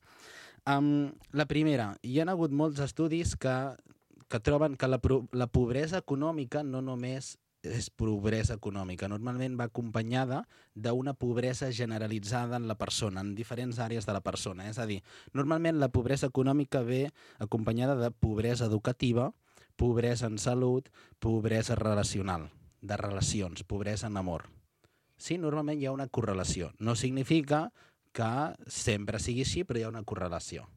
La primera, hi ha hagut molts estudis que troben que la pobresa econòmica no només és pobresa econòmica. Normalment va acompanyada d'una pobresa generalitzada en la persona, en diferents àrees de la persona. És a dir, normalment la pobresa econòmica ve acompanyada de pobresa educativa, pobresa en salut, pobresa relacional, de relacions, pobresa en amor. Sí, normalment hi ha una correlació. No significa que sempre sigui així, però hi ha una correlació.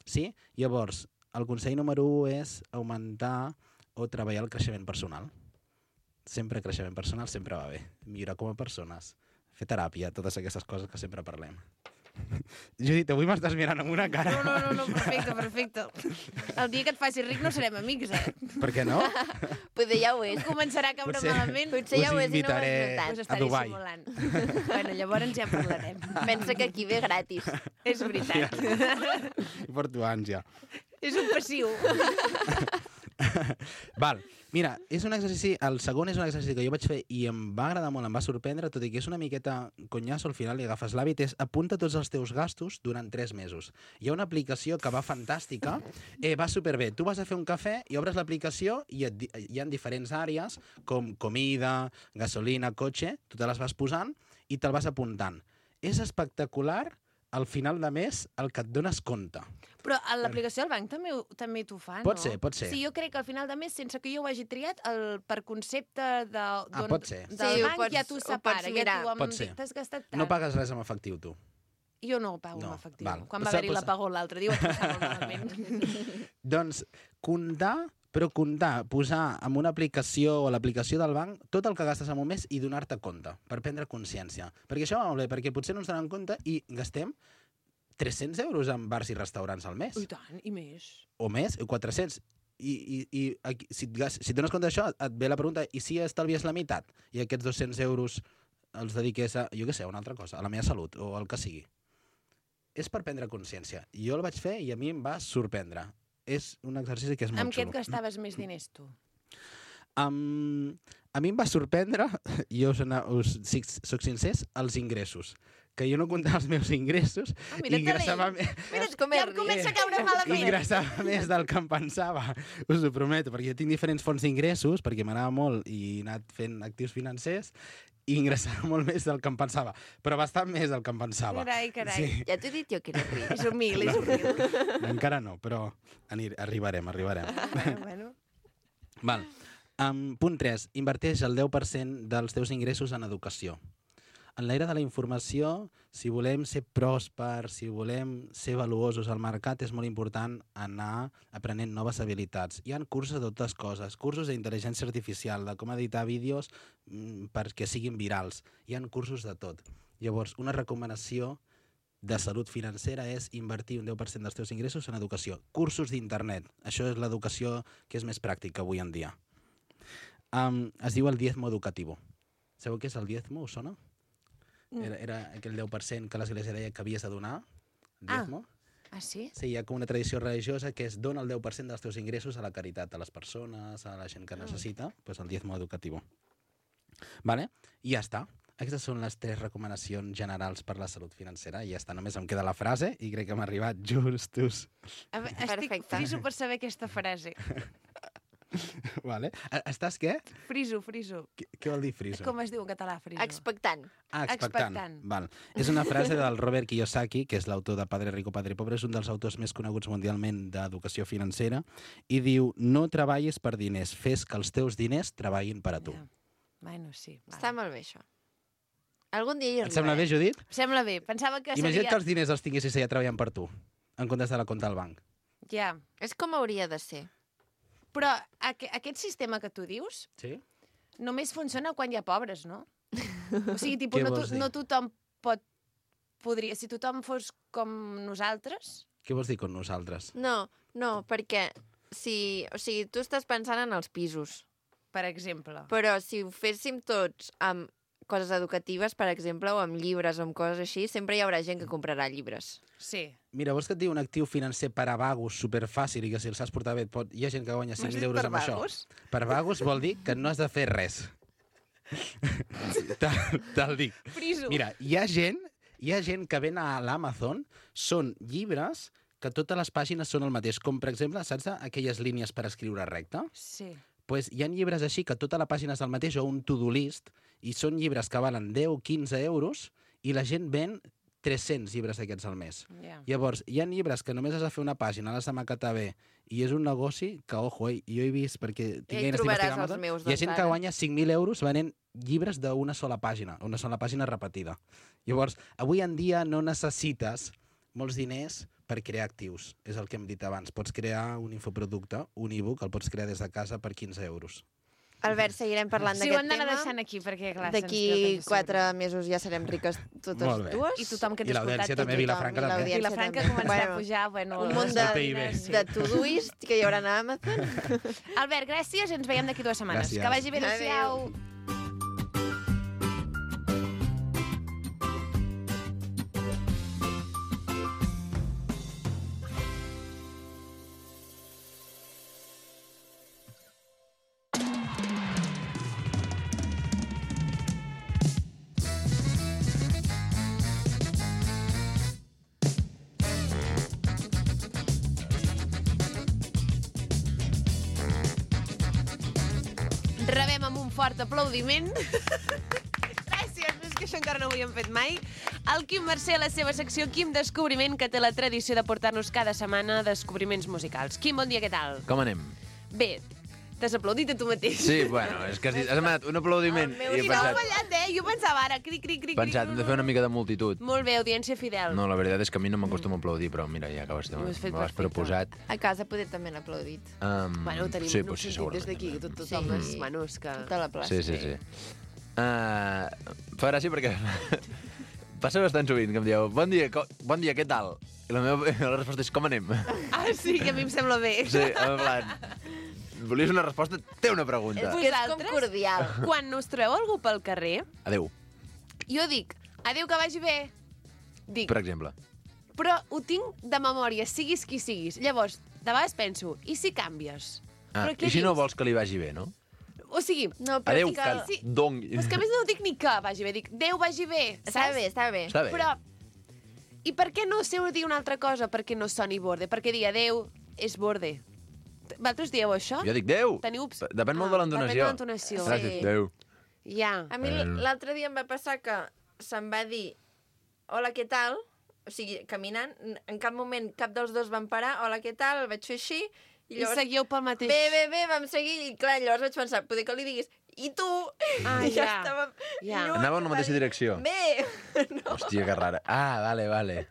Sí? Llavors, el consell número 1 és augmentar o treballar el creixement personal. Sempre creixement personal sempre va bé. Millorar com a persones, fer teràpia, totes aquestes coses que sempre parlem. Judit, avui m'estàs mirant amb una cara. No, perfecte. El dia que et facis ric no serem amics, eh? Per què no? Potser ja ho és. Començarà a caure Potser- malament. Potser ja ho és i no ho invitaré has Pues notat. estaré Dubai. simulant. Bueno, llavors ja en parlarem. Pensa que aquí ve gratis. És veritat. I porto ànsia. És un passiu. Val, mira, és un exercici, el segon és un exercici que jo vaig fer i em va agradar molt, em va sorprendre, tot i que és una miqueta conyasso, al final li agafes l'hàbit, és apunta tots els teus gastos durant 3 mesos. Hi ha una aplicació que va fantàstica, va superbé. Tu vas a fer un cafè i obres l'aplicació i hi ha diferents àrees, com comida, gasolina, cotxe, tu te les vas posant i te'l vas apuntant. És espectacular al final de mes el que et dones compte. Però a l'aplicació del banc també t'ho fa, no? Pot ser, pot ser. Sí, jo crec que al final de mes, sense que jo ho hagi triat, per concepte pot ser. del Sí, ho banc pots- ja t'ho ho separa. pots Ja mirar. t'ho Pot ser. t'has gastat tant. No pagues res amb efectiu, tu. Jo no ho pago No, en efectiu. val. Quan va Pues- haver-hi l'apagó l'altre dia, ho vaig passar molt malament. Doncs comptar, posar en una aplicació o l'aplicació del banc tot el que gastes en un mes i donar-te compte, per prendre consciència. Perquè això va molt bé, perquè potser no ens donem compte i gastem 300 euros en bars i restaurants al mes. I tant, i més. O més, 400. I si et dones compte d'això, et ve la pregunta, i si estalvies la meitat? I aquests 200 euros els dediqués a, jo què sé, a una altra cosa, a la meva salut o el que sigui. És per prendre consciència. Jo el vaig fer i a mi em va sorprendre. És un exercici que és molt Amb què et xulo. gastaves més diners, tu? A mi em va sorprendre, jo soc sincer, els ingressos. Que jo no comptava els meus ingressos i ingressava més... Mira com ja em comença a caure malament. Ingressava més del que em pensava, us ho prometo, perquè jo tinc diferents fonts d'ingressos, perquè m'anava molt i he anat fent actius financers, i ingressava molt més del que em pensava, però bastant més del que em pensava. Carai, carai. Sí. Ja t'he dit jo que era ric. És humil, és humil. Encara no, però arribarem. Bueno. Val. Punt 3. Inverteix el 10% dels teus ingressos en educació. En l'era de la informació, si volem ser pròspers, si volem ser valuosos al mercat, és molt important anar aprenent noves habilitats. Hi ha cursos de totes coses, cursos d'intel·ligència artificial, de com editar vídeos perquè siguin virals. Hi ha cursos de tot. Llavors, una recomanació de salut financera és invertir un 10% dels teus ingressos en educació. Cursos d'internet. Això és l'educació que és més pràctica avui en dia. Es diu el diezmo educativo. Sabeu què és el diezmo? Us sona? Era aquell 10% que l'Església deia que havies de donar. El diezmo. Ah, sí? Sí, hi ha com una tradició religiosa que és dona el 10% dels teus ingressos a la caritat, a les persones, a la gent que necessita, doncs el diezmo educativo. Vale? I ja està. Aquestes són les 3 recomanacions generals per la salut financera. I ja està, només em queda la frase i crec que m'ha arribat justos. Estic Perfecte. friso per saber aquesta frase. Vale. Estàs què? Friso. Què vol dir friso? Com es diu en català, friso? Expectant. expectant. Val. És una frase del Robert Kiyosaki, que és l'autor de Padre Rico, Padre Pobre, és un dels autors més coneguts mundialment d'educació financera, i diu, no treballis per diners, fes que els teus diners treballin per a tu. Ja. Bueno, sí. Està molt bé, això. Algun dia hi Et sembla bé, Judit? Em sembla bé. Pensava que Imagina't seria... que els diners els tinguessis allà treballant per tu, en comptes de la compta al banc. Ja. És com hauria de ser. Però aquest sistema que tu dius Sí? només funciona quan hi ha pobres, no? O sigui, tipus, Què vols dir? no tothom podria... Si tothom fos com nosaltres... Què vols dir con nosaltres? No, perquè o sigui, tu estàs pensant en els pisos, Per exemple. però si ho féssim tots amb coses educatives, per exemple, o amb llibres o amb coses així, sempre hi haurà gent que comprarà llibres. Sí. Mira, vols que et digui un actiu financer per a vagos superfàcil i que si el saps portar bé hi ha gent que guanya 5.000 euros amb això? Per vagos vol dir que no has de fer res. Te'l dic. Friso. Mira, hi ha gent que ven a l'Amazon, són llibres que totes les pàgines són el mateix. Com, per exemple, saps aquelles línies per escriure recte? Sí. Pues hi ha llibres així que tota la pàgina és el mateix o un to-do list i són llibres que valen 10 o 15 euros i la gent ven 300 llibres d'aquests al mes. Ja. Llavors, hi ha llibres que només has de fer una pàgina, l'has de maquetar bé, i és un negoci que, ojo, jo he vist, perquè tinc hi ganes trobaràs d'investigar els Amazon, meus, hi ha doncs, gent que ara. guanya 5.000 euros venent llibres d'una sola pàgina repetida. Llavors, avui en dia no necessites molts diners per crear actius. És el que hem dit abans. Pots crear un infoproducte, un e-book, el pots crear des de casa per 15 euros. Albert, seguirem parlant Sí, ho d'aquest hem d'anar tema. deixant aquí, perquè, clar, D'aquí 4 mesos ja serem riques totes Molt bé. dues. I tothom que I t'ha l'audiència escoltat... també, Vilafranca tothom, i també. I la Franca també. començarà a pujar, bueno... Un munt El PIB. de Todoist que hi haurà a Amazon. Albert, gràcies, ens veiem d'aquí 2 setmanes. Gràcies. Que vagi bé, adéu-siau. Rebem amb un fort aplaudiment. Gràcies, és que això encara no ho havíem fet mai. El Quim Mercè, a la seva secció Quim Descobriment, que té la tradició de portar-nos cada setmana descobriments musicals. Quim, bon dia, què tal? Com anem? Bé, t'has aplaudit a tu mateix. Sí, bueno, és que has demanat un aplaudiment i he I no has pensat, fallat, Jo pensava ara, cric, cric, cric. hem de fer una mica de multitud. Molt bé, audiència fidel. No, la veritat és que a mi no m'acostuma a aplaudir, però mira, ja que Ho has fet me l'has perfecte. proposat. A casa poder també han aplaudit. Bueno, ho tenim sí, no, pues sí, sentit des segurament. d'aquí, tothom Sí. és... Bueno, és que... Tota la plaça. Sí. Fa gràcia perquè passa bastant sovint que em dieu bon dia, què tal? I la resposta és com anem? Ah, sí, que a mi em sembla bé. Sí, en plan... Volies una resposta? Té una pregunta. Que és com cordial. Quan us trobeu algú pel carrer, Adéu, jo dic, adéu, que vagi bé. Dic, per exemple. però ho tinc de memòria, siguis qui siguis. Llavors, de vegades penso, i si canvies? Però què I si no dius? vols que li vagi bé, no? O sigui, No, però Adéu, sí que... sí. Dong... però és que a més no dic ni que vagi bé, dic, Déu vagi bé, Està saps? bé, està bé. Està bé. Però, i per què no sé dir una altra cosa perquè no soni borde? Perquè dir adéu és borde. Vosaltres dieu això? Jo dic Déu. Teniu... Depèn molt de l'entonació. Depèn de l'entonació. Gràcies, Sí. Déu. Ja. A mi l'altre dia em va passar que se'm va dir hola, què tal? O sigui, caminant, en cap moment cap dels dos van parar, hola, què tal? El vaig fer així. I seguiu pel mateix... Bé, vam seguir. I clar, llavors vaig pensar, poder que li diguis i tu? Ah, I ja. estàvem Ja. lluny, Anava en la va mateixa dir, direcció. Bé, no. Hòstia, que rara. Ah, vale.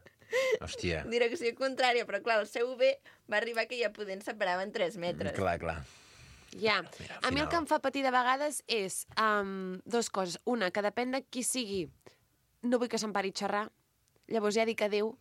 Hòstia. Direcció contrària, però clar, el seu bé va arribar que ja podent separaven 3 metres. Clar. Ja. Mira, A mi el final. que em fa patir de vegades és dues coses. Una, que depèn de qui sigui, no vull que se'n pari a xerrar. Llavors ja dic adéu.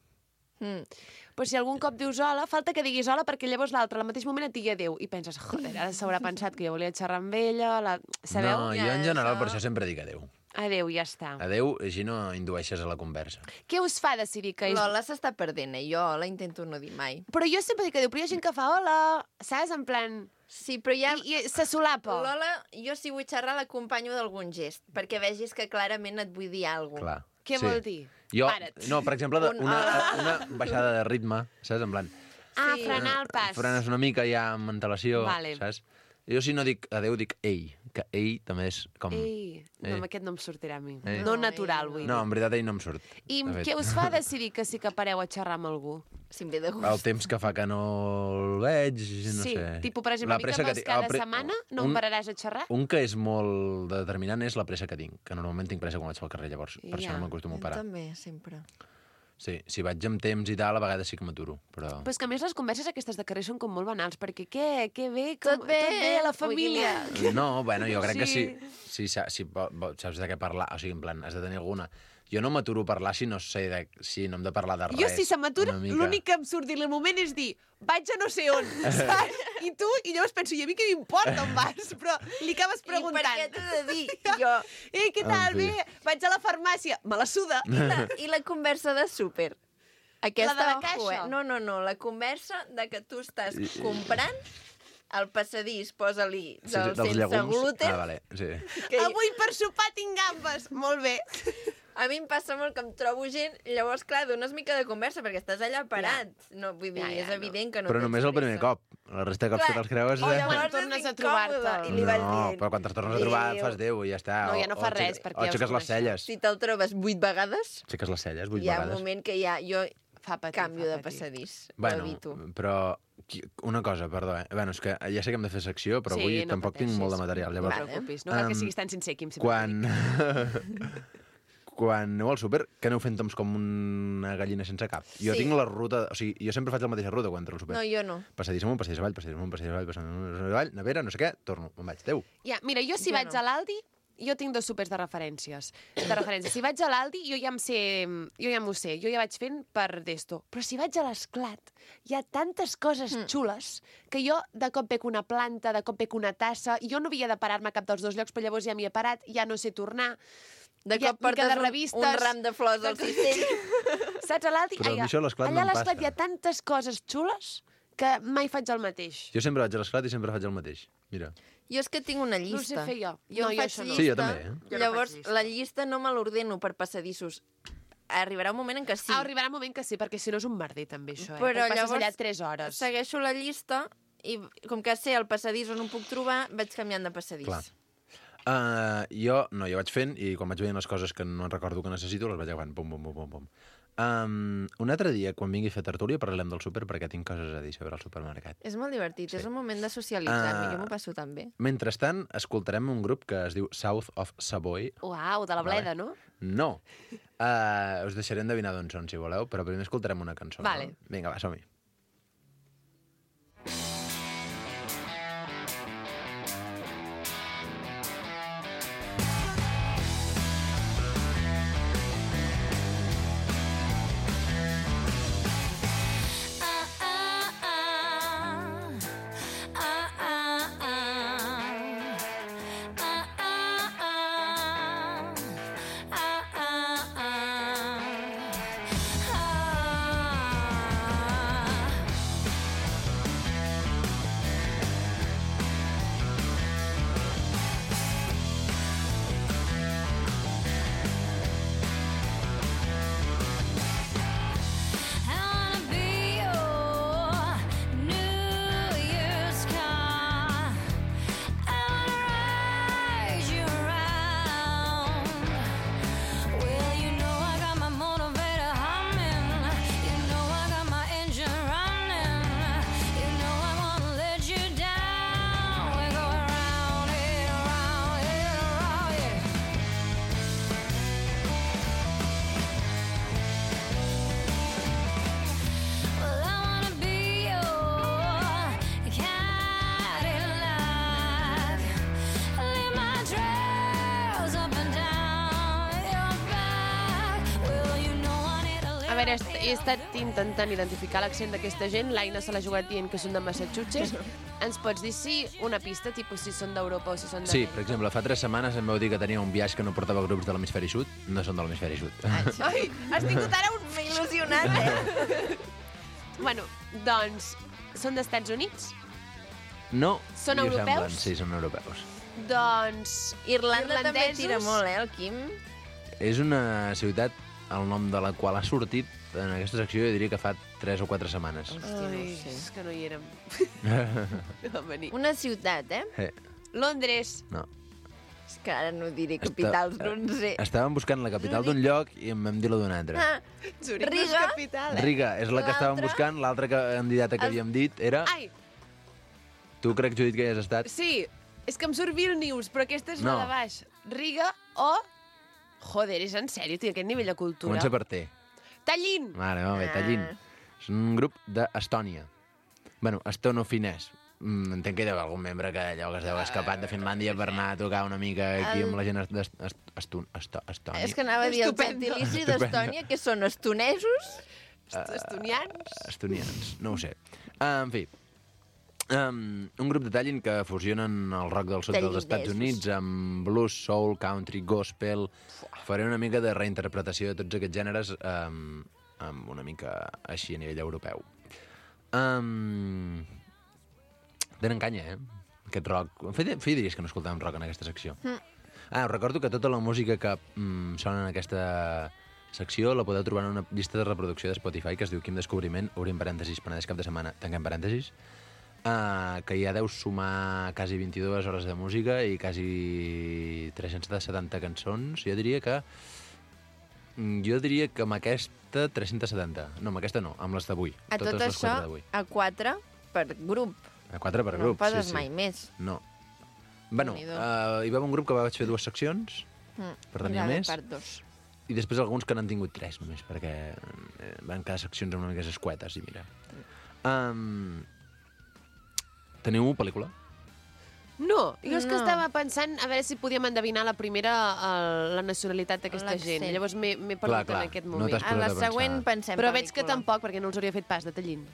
Però si algun cop dius hola, falta que diguis hola perquè llavors l'altre al mateix moment et digui adéu. I penses, joder, ara s'haurà pensat que jo volia xerrar amb ella, sabeu? No, jo Ja, en general això. per això sempre dic adéu. Adéu, ja està. Adéu, així no indueixes a la conversa. Què us fa decidir que és... L'hola s'està perdent, Jo hola intento no dir mai. Però jo sempre dic adéu, però hi ha gent que fa hola, saps? En plan... Sí, però ja... I se solapa. L'hola, jo si vull xerrar l'acompanyo d'algun gest, perquè vegis que clarament et vull dir alguna cosa. Clar. Què vol dir? Jo, Para't. no, per exemple, una baixada de ritme, saps? En plan, Ah, Sí. frenar el pas. frenes una mica ja amb antelació, Vale. saps? Jo si no dic adéu, dic ei, que ei també és com... Ei, no, Ei. amb aquest no em sortirà a mi. Ei. No natural, vull No, dir. en veritat ei no em surt. I de fet. què us fa decidir que sí que pareu a xerrar amb algú? Si em ve de gust. El temps que fa que no el veig, no sí, sé. tipus, per exemple, a mi que pressa vas cada tinc. setmana, no em pararàs a xerrar? Un que és molt determinant és la pressa que tinc, que normalment tinc pressa quan vaig pel carrer, llavors per Ja. això no m'acostumo a Jo parar. també, sempre. Sí, si vaig amb temps i tal, a vegades sí que m'aturo, però... Però és que a més les converses aquestes de carrer són com molt banals, perquè què bé, com, Tot bé, la família. No, bueno, jo crec que Sí. si saps de què parlar, o sigui, en plan, has de tenir alguna... Jo no m'aturo a parlar si no sé si no hem de parlar de res. Jo, si se m'atura, una mica. l'únic que em surt dir al moment és dir vaig a no sé on, saps? I tu, i llavors penso, i a mi què m'importa on vas? Però li acabes preguntant. I per què t'he de dir? Jo... Què tal? En fi. Bé, vaig a la farmàcia. Me la suda. I la conversa de súper? Aquesta, La de la ojo, caixa? No, la conversa de que tu estàs comprant al passadís, posa-li Sí, del dels sense llegums. gluten. Ah, vale, sí. Que Avui per sopar tinc gambes. Molt bé. a mi em passa molt que em trobo gent, llavors, clar, dones mica de conversa, perquè estàs allà parat. No, vull dir, Ja, és no. evident que no Però tens només el primer pressa. cop. La resta de cops Clar, que te'ls creus... o llavors Quan és tornes a incòmode, trobar-te. I li vas No, dient, però quan te'ls tornes a trobar adéu. fas Déu i ja està. No, ja no fa res, perquè ja O us aixeques les coneixeu. celles. Si te'l trobes 8 vegades, Aixeques les celles 8 hi ha un vegades. moment que ja jo Fa patir, canvio fa de patir. passadís. Ho Bueno, evito. però una cosa, perdó, Bueno, és que ja sé que hem de fer secció, però Sí, avui no tampoc tinc pateixis. molt de material. No Llavors, et preocupis. No cal que Em, siguis tan sincer, Quim. quan... quan aneu al súper, que aneu fent com una gallina sense cap. Jo Sí. tinc la ruta... O sigui, jo sempre faig la mateixa ruta quan entro al súper. No, jo no. Passadís amunt, passadís avall, passadís amunt, passadís avall, passadís avall, nevera, no sé què, torno, me'n vaig. Adéu. Ja, mira, jo si Jo vaig no. a l'Aldi, jo tinc 2 súpers de referències. Si vaig a l'Aldi, jo ja m'ho sé, jo ja vaig fent per d'esto. Però si vaig a l'Esclat, hi ha tantes coses xules que jo de cop veig una planta, de cop veig una tassa, i jo no havia de parar-me a cap dels dos llocs, però llavors ja m'hi he parat, ja no sé tornar. De Ja, cop portes mica de un revistes, ram de flors al cistell. Saps, a l'Aldi? Però a mi això a l'Esclat allà no a em l'Esclat passa. hi ha tantes coses xules que mai faig el mateix. Jo sempre vaig a l'Esclat i sempre faig el mateix. Mira. Jo és que tinc una No ho sé llista. fer jo. Jo No, em jo faig això no. llista. Sí, jo també, Jo no Llavors, faig llista. la llista no me l'ordeno per passadissos. Arribarà un moment en què sí. Arribarà un moment que sí, perquè si no és un merder també això, Però Perquè passes llavors allà 3 hores. Segueixo la llista i com que sé el passadís on ho puc trobar, vaig canviant de passadís. Clar. Jo vaig fent i quan vaig veient les coses que no recordo que necessito les vaig agafant, pum, pum, pum, pum, pum. Un altre dia, quan vingui a fer tertúlia, parlem del súper perquè tinc coses a dir sobre el supermercat. És molt divertit, és un moment de socialitzar, jo m'ho passo tan bé. Mentrestant, escoltarem un grup que es diu South of Savoy. Uau, de la Bleda, no? No. Us deixaré endevinar d'on són, si voleu, però primer escoltarem una cançó. Vale. No? Vinga, va, som-hi. A veure, he estat intentant identificar l'accent d'aquesta gent. L'Aina se l'ha jugat dient que són de Massachusetts. Ens pots dir una pista, tipus si són d'Europa o si són de... Sí, per exemple, fa 3 setmanes em vau dir que tenia un viatge que no portava grups de l'hemisferi sud. No són de l'hemisferi sud. Ai, has tingut ara un il·lusionat, eh? Bueno, doncs, són d'Estats Units? No. Són i ho europeus? semblen, sí, són europeus. Doncs, Irlanda també irlandesos? tira molt, el Quim? És una ciutat, el nom de la qual ha sortit en aquesta secció, jo diria que fa 3 o 4 setmanes. Hòstia, no Ai, ho sé. és que no hi érem. No vam venir. Una ciutat, eh? Londres. No. És que ara no diré capitals, no en sé. Estàvem buscant la capital d'un lloc i em vam dir la d'un altre. Ah, Zurich no és Riga? capital, Riga és la que estàvem L'altra? buscant, l'altra candidata que havíem dit era... Ai, Tu crec, Judit, que hi has estat? sí, és que em surt Vilnius, però aquesta és No. la de baix. Riga o... Joder, és en sèrio, tio, aquest nivell de cultura. Comença per T. Tallinn! Vale, molt bé, Tallinn. És un grup d'Estònia. Bueno, estonofinès. Entenc que hi deu haver algun membre que allò que es deu escapat de Finlàndia per anar a tocar una mica aquí amb la gent d'Estònia. És que anava a dir el Estupendo. gentilici Estupendo. d'Estònia, que són estonesos. Estonians? Estonians, no ho sé. En fi, un grup de Tallinn que fusionen el rock del sud dels Estats Units amb blues, soul, country, gospel. Faré una mica de reinterpretació de tots aquests gèneres amb una mica així a nivell europeu. Tenen canya, eh? Aquest rock. Feia dies que no escoltàvem rock en aquesta secció. Recordo que tota la música que sona en aquesta secció la podeu trobar en una llista de reproducció de Spotify que es diu Quim Descobriment, obrim parèntesis, Penedès cap de setmana, tanquem parèntesis, que ja deu sumar quasi 22 hores de música i quasi 370 cançons. Jo diria que amb aquesta 370. No, amb aquesta no, amb les d'avui. A tot Totes les això, 4 d'avui. a 4 per grup. A 4 per No grup, poses sí, sí. mai més. No. Bueno, Déu-n'hi-do. hi va haver un grup que vaig fer 2 seccions, per tenir Era de més, part 2. i després alguns que n'han tingut 3 només, perquè van quedar seccions una mica escuetes, i mira. Teniu pel·lícula? No, jo és que No. estava pensant a veure si podíem endevinar la primera la nacionalitat d'aquesta L'accent. gent. Llavors m'he perdut Clar, en aquest no moment. t'has A la posat a següent pensar. pensem Però veig que pel·lícula. tampoc, perquè no els hauria fet pas de Tallinn.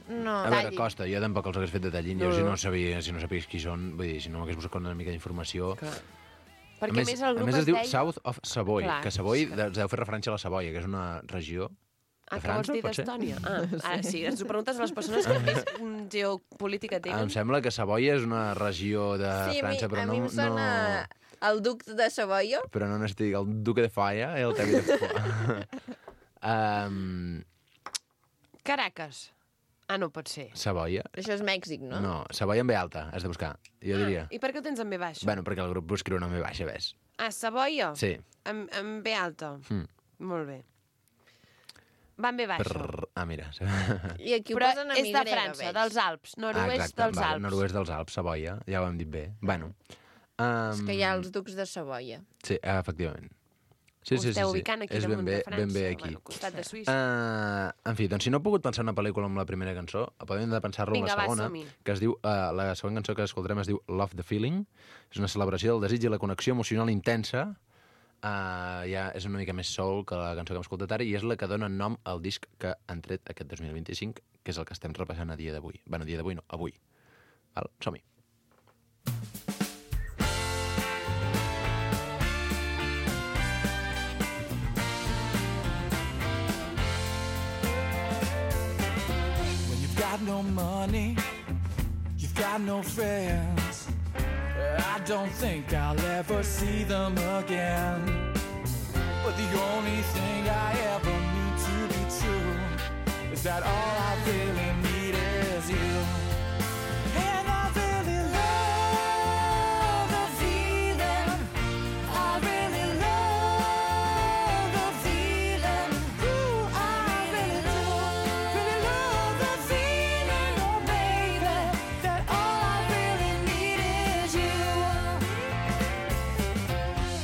No. A veure, Tallinn. costa, jo tampoc els hagués fet de Tallinn, No. jo si no sabies qui són, vull dir, si no m'hagués buscat una mica d'informació... Perquè a més el a grup més es es diu deia... South of Savoy, Clar, que Savoy es deu fer referència a la Savoia, que és una regió de que vols França, dir pot ser? d'Estònia? Ara sí, ens ho preguntes a les persones que més geopolítica Em tenen. sembla que Savoia és una regió de Sí, França, però a no... mi em sona el duc de Savoia. Però no n'estic, el Duque de Falla, el Tevi de Falla. Caracas. Ah, no pot ser. Savoia. Això és Mèxic, no? No, Savoia amb B alta, has de buscar, jo diria. I per què ho tens en B baixa? Bueno, perquè el grup ho escriu en B baixa, ves? Ah, Savoia? Sí. Amb B alta. Molt bé. Va amb B baixa. Mira. I aquí ho Però posen a és de grega, França, veig. dels Alps. Nord-oest dels Alps. Nord-oest dels Alps, Savoia, ja ho hem dit bé. Bueno. És que hi ha els ducs de Savoia. Sí, efectivament. Sí. Ho esteu ubicant aquí és damunt de França. ben bé aquí. Bueno, al costat de Suïssa. En fi, doncs si no he pogut pensar una pel·lícula amb la primera cançó, podem de pensar-lo amb la segona, que es diu, la segona cançó que escoltarem es diu Love the Feeling. És una celebració del desig i la connexió emocional intensa. Ja és una mica més soul que la cançó que hem escoltat ara i és la que dona nom al disc que han tret aquest 2025, que és el que estem repassant a dia d'avui. Bueno, a dia d'avui no, avui. Val? Som-hi. When you've got no money, you've got no friends, I don't think I'll ever see them again. But the only thing I ever need to be true is that all I really need is you. And I really love the feeling. I really love the feeling. Ooh, I really love the feeling, oh baby, that all I really need is you.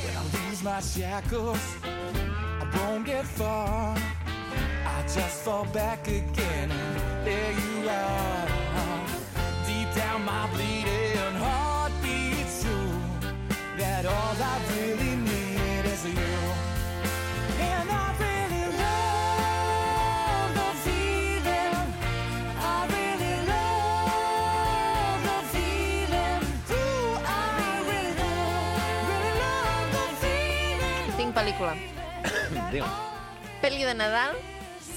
When I lose my shackles, I won't get far. I just fall back again and there you are. Deep down my bleeding heart beats true, that all I really need is you. And I really love the feeling. I really love the feeling. Ooh, I really love the feeling. Tinc pel·lícula. Digue'm. Pel·li de Nadal.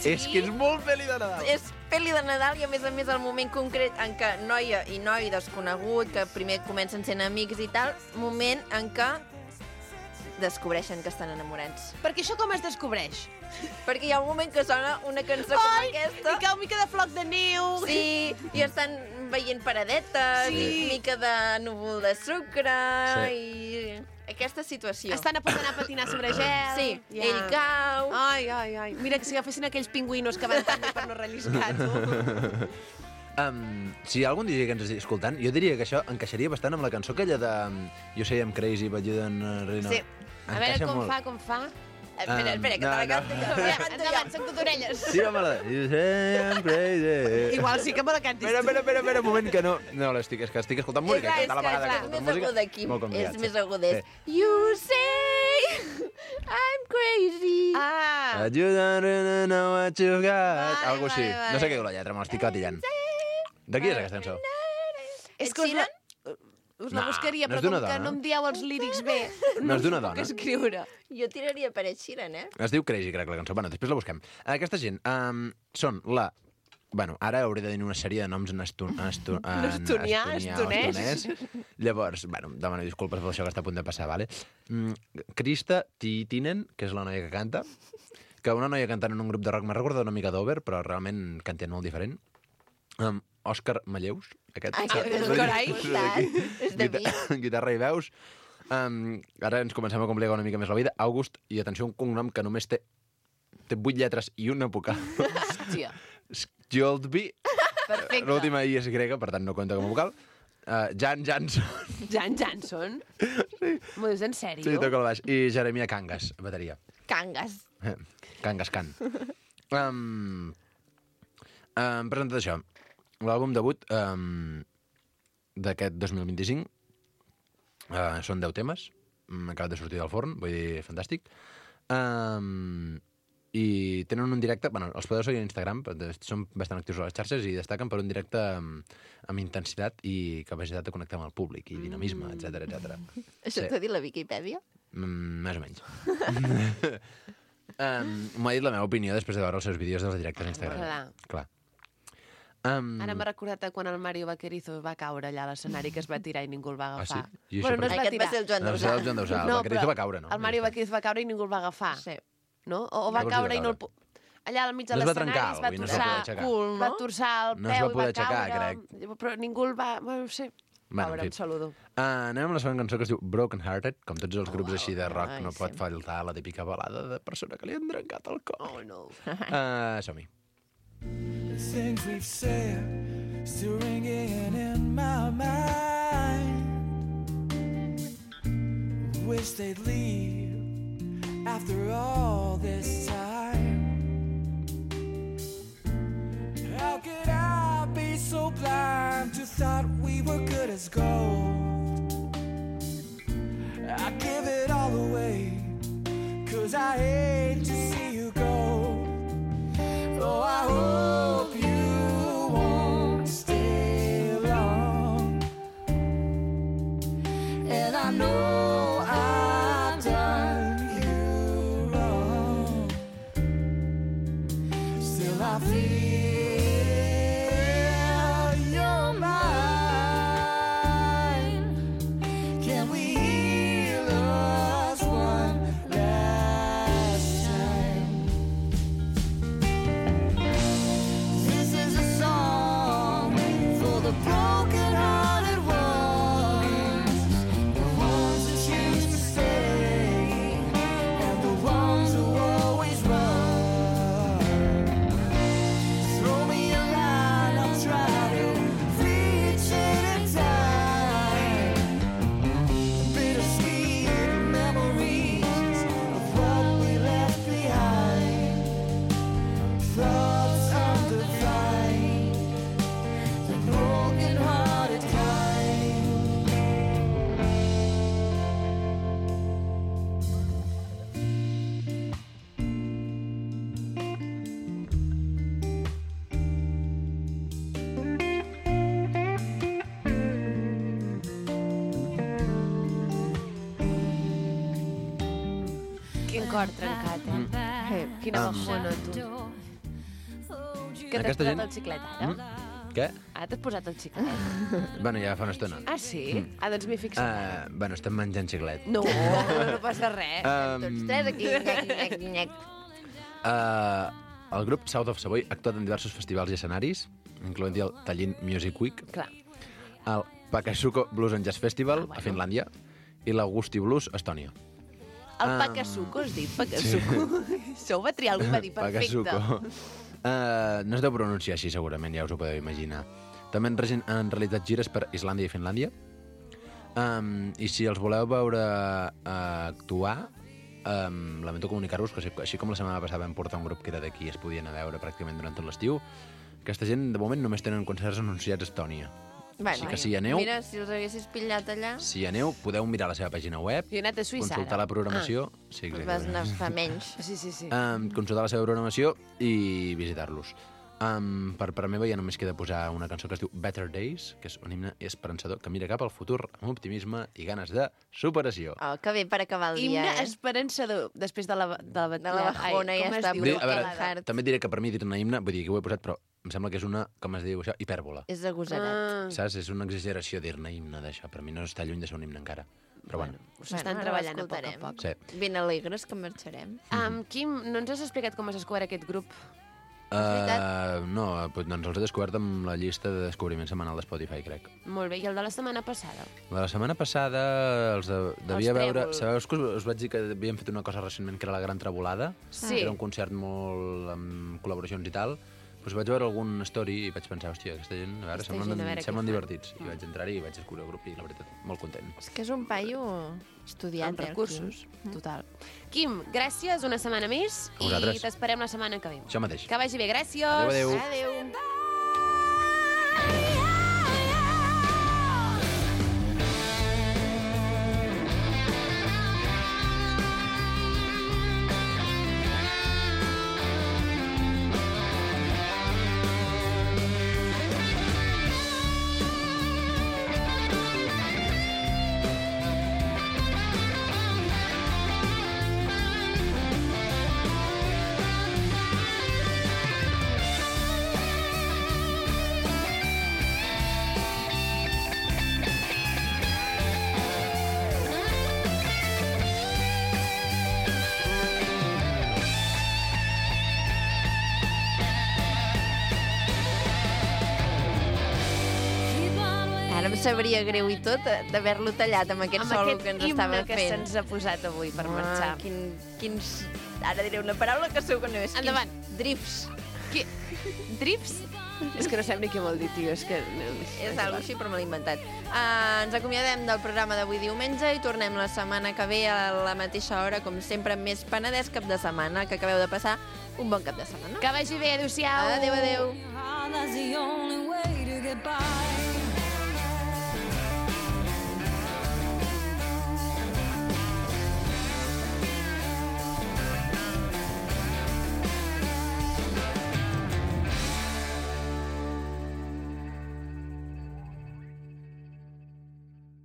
És que és molt pel·li de Nadal. És pel·li de Nadal i, a més, el moment concret en què noia i noi desconegut, que primer comencen sent amics i tal, moment en què descobreixen que estan enamorats. Perquè això com es descobreix? Perquè hi ha un moment que sona una cançó com aquesta. I cau mica de floc de neu. Sí, i estan veient paradetes, Sí. i mica de núvol de sucre, Sí. i aquesta situació. Estan a punt d'anar a patinar sobre gel. Sí, ell cau. Ai. Mira, que si agafessin aquells pingüinos que van tan bé per no relliscar, tu. Si hi ha algun DJ que ens estigui escoltant, jo diria que això encaixaria bastant amb la cançó aquella de You Say I'm Crazy, but you don't really know. Sí. A veure com fa. Espera, que te la canto jo. Te la canto Endavant, jo. som cotorelles. Sí, home, You Say I'm Crazy. Igual sí que me la cantis. Espera, un moment, que no... No, és que estic escoltant música. És que a la vegada clar, que és escolto més música, aguda aquí. molt complicat, És més sí. aguda. You say I'm crazy. Ah, But you don't really know what you've got. Vale, Algo així. vale. No sé què diu la lletra, me l'estic catillant. De qui és aquesta cançó? és que us la No, buscaria, no és però com d'una que dona. no em dieu els lírics bé, No és d'una puc dona. escriure. Jo tiraria per Ed Sheeran, eh? Es diu Crazy, crec, la cançó. Bueno, després la busquem. Aquesta gent són la... Bueno, ara hauré de dir una sèrie de noms en Estonià, estonès. Llavors, bueno, demano disculpes per això que està a punt de passar, vale? Krista Titinen, que és la noia que canta, que una noia cantant en un grup de rock m'ha recordat una mica d'Over, però realment canten molt diferent. Òscar Malleus, aquest. carai. És de mi. Guitarra i veus. Ara ens comencem a complicar una mica més la vida. August, i atenció, un cognom que només té 8 lletres i una vocal. Hòstia. Skjoldby. Perfecte. L'última I és grega, per tant no compta com a vocal. Jan Jansson. Jan Jansson? Sí. M'ho dius en sèrio? Sí, toca el baix. I Jeremia Cangas, bateria. Cangas. Cangas Can. Hem presentat això. L'àlbum debut d'aquest 2025 són 10 temes. Acabat de sortir del forn, vull dir, fantàstic. I tenen un directe... Bueno, els podeu seguir a Instagram, són bastant actius a les xarxes i destaquen per un directe amb intensitat i capacitat de connectar amb el públic i dinamisme, etc etc. Això t'ho ha dit la Viquipèdia? Més o menys. M'ho ha dit la meva opinió després de veure els seus vídeos dels directes a Instagram. Clar. Ara m'ha recordat quan el Mario Vaquerizo va caure allà a l'escenari que es va tirar i ningú el va agafar. Ah, sí? Bueno, no es va Aquest va tirar. ser el Joan No, va ser el Dausà. Joan Dausà. El Vaquerizo va caure, no? El Mario Vaquerizo va caure i ningú el va agafar. Sí. No? O va Llavors caure hi i va no el... allà al mig de No es va l'escenari trencar, es va vull dir, no es va torçar, poder aixecar. Cool, va no? torçar el No es va peu i va poder aixecar, caure, però ningú el va... Bueno, no sé. Bueno, Pobre, en em fi. saludo. Anem amb la segona cançó que es diu Broken Hearted. Com tots els grups així de rock, ai, no pot sí. faltar la típica balada de persona que li han trencat el cor. Oh, no. Som-hi. The things we've said still ringing in my mind. Wish they'd leave after all this time. How could I be so blind to thought we were good as gold? I give it all away, 'cause I hate to see you go. Oh, I hope you won't stay long. And I know I've done you wrong. Still I feel you're mine. Can we heal us one last time? This is a song for the broken-hearted ones, the ones that used to stay, and the ones who always run. Throw me a line, I'll try to reach it in time. Bittersweet memories of what we left behind. Thoughts undefined, the broken-hearted kind. Quin cor trencat, Quina bajona, tu. Que t'has Aquesta posat gent- el xiclet, ara? Què? Ara t'has posat el xiclet. Bueno, ja fa una estona. Ah, sí? Ah, doncs m'hi fixo. Bueno, estem menjant xiclet. No, no passa res. Tots tres aquí, nyec, nyec, nyec. El grup South of Savoy ha actuat en diversos festivals i escenaris, incloent-hi el Tallinn Music Week, Clar. el Pakasuko Blues and Jazz Festival a Finlàndia i l'Augusti Blues a Estònia. El Pakasuko, has dit? Pakasuko. Això ho va triar algú i va dir perfecte. Pakasuko. No es deu pronunciar així, segurament, ja us ho podeu imaginar. També han realitzat gires per Islàndia i Finlàndia. I si els voleu veure actuar, lamento comunicar-vos que així com la setmana passada vam portar un grup que era d'aquí i es podien anar a veure pràcticament durant tot l'estiu, aquesta gent, de moment, només tenen concerts anunciats a Estònia. Així que si hi aneu, Mira, si els haguessis pillat allà, si hi aneu, podeu mirar la seva pàgina web, Jo he anat a Suïssa, consultar ara. la programació... Sí, vas exactament. anar fa menys. Sí. Consultar la seva programació i visitar-los. Per meva ja només queda posar una cançó que es diu Better Days, que és un himne esperançador que mira cap al futur amb optimisme i ganes de superació. Oh, que bé per acabar el dia, Himne esperançador, després de la bajona, ja està. Vull dir, a veure, Broken Heart. també et diré que per mi dir-ne himne, vull dir que ho he posat, però em sembla que és una, com es diu això, hipèrbola. És agosarat. Saps? És una exageració dir-ne himne d'això. Per mi no està lluny de ser un himne encara. Però bueno. S'estan ara treballant a poc a l'escoltarem. poc. Sí. Ben alegres que marxarem. Quim, no ens has explicat com has descobert aquest grup? No, doncs els he descobert amb la llista de descobriment setmanal de Spotify, crec. Molt bé, i el de la setmana passada? La setmana passada els devia Els veure... Trèvol. Sabeu que us vaig dir que havíem fet una cosa recentment que era la Gran Trebolada? Sí. Era un concert molt amb col·laboracions i tal. Doncs vaig veure algun story i vaig pensar, hòstia, aquesta gent, a veure, Aquesta gent, a veure què semblen fan. divertits. I vaig entrar-hi i vaig descobrir el grup i, la veritat, molt content. És que és un paio estudiat, Amb recursos, total. Quim, gràcies una setmana més A vosaltres. i t'esperem la setmana que ve. Això mateix. Que vagi bé, gràcies. Adéu, adéu. Adéu. sabria greu i tot d'haver-lo tallat amb aquest solo que ens estava que fent. se'ns ha posat avui per marxar. Quins... Ara diré una paraula que segur que no és. Endavant. Drifts. Drips? És que no sap ni què vol dir, tio. És que... És algo així, però me l'he inventat. Ens acomiadem del programa d'avui diumenge i tornem la setmana que ve a la mateixa hora, com sempre, amb més Penedès cap de setmana, que acabeu de passar un bon cap de setmana. Que vagi bé, adéu-siau. Adéu, adéu. That's the only way to get by.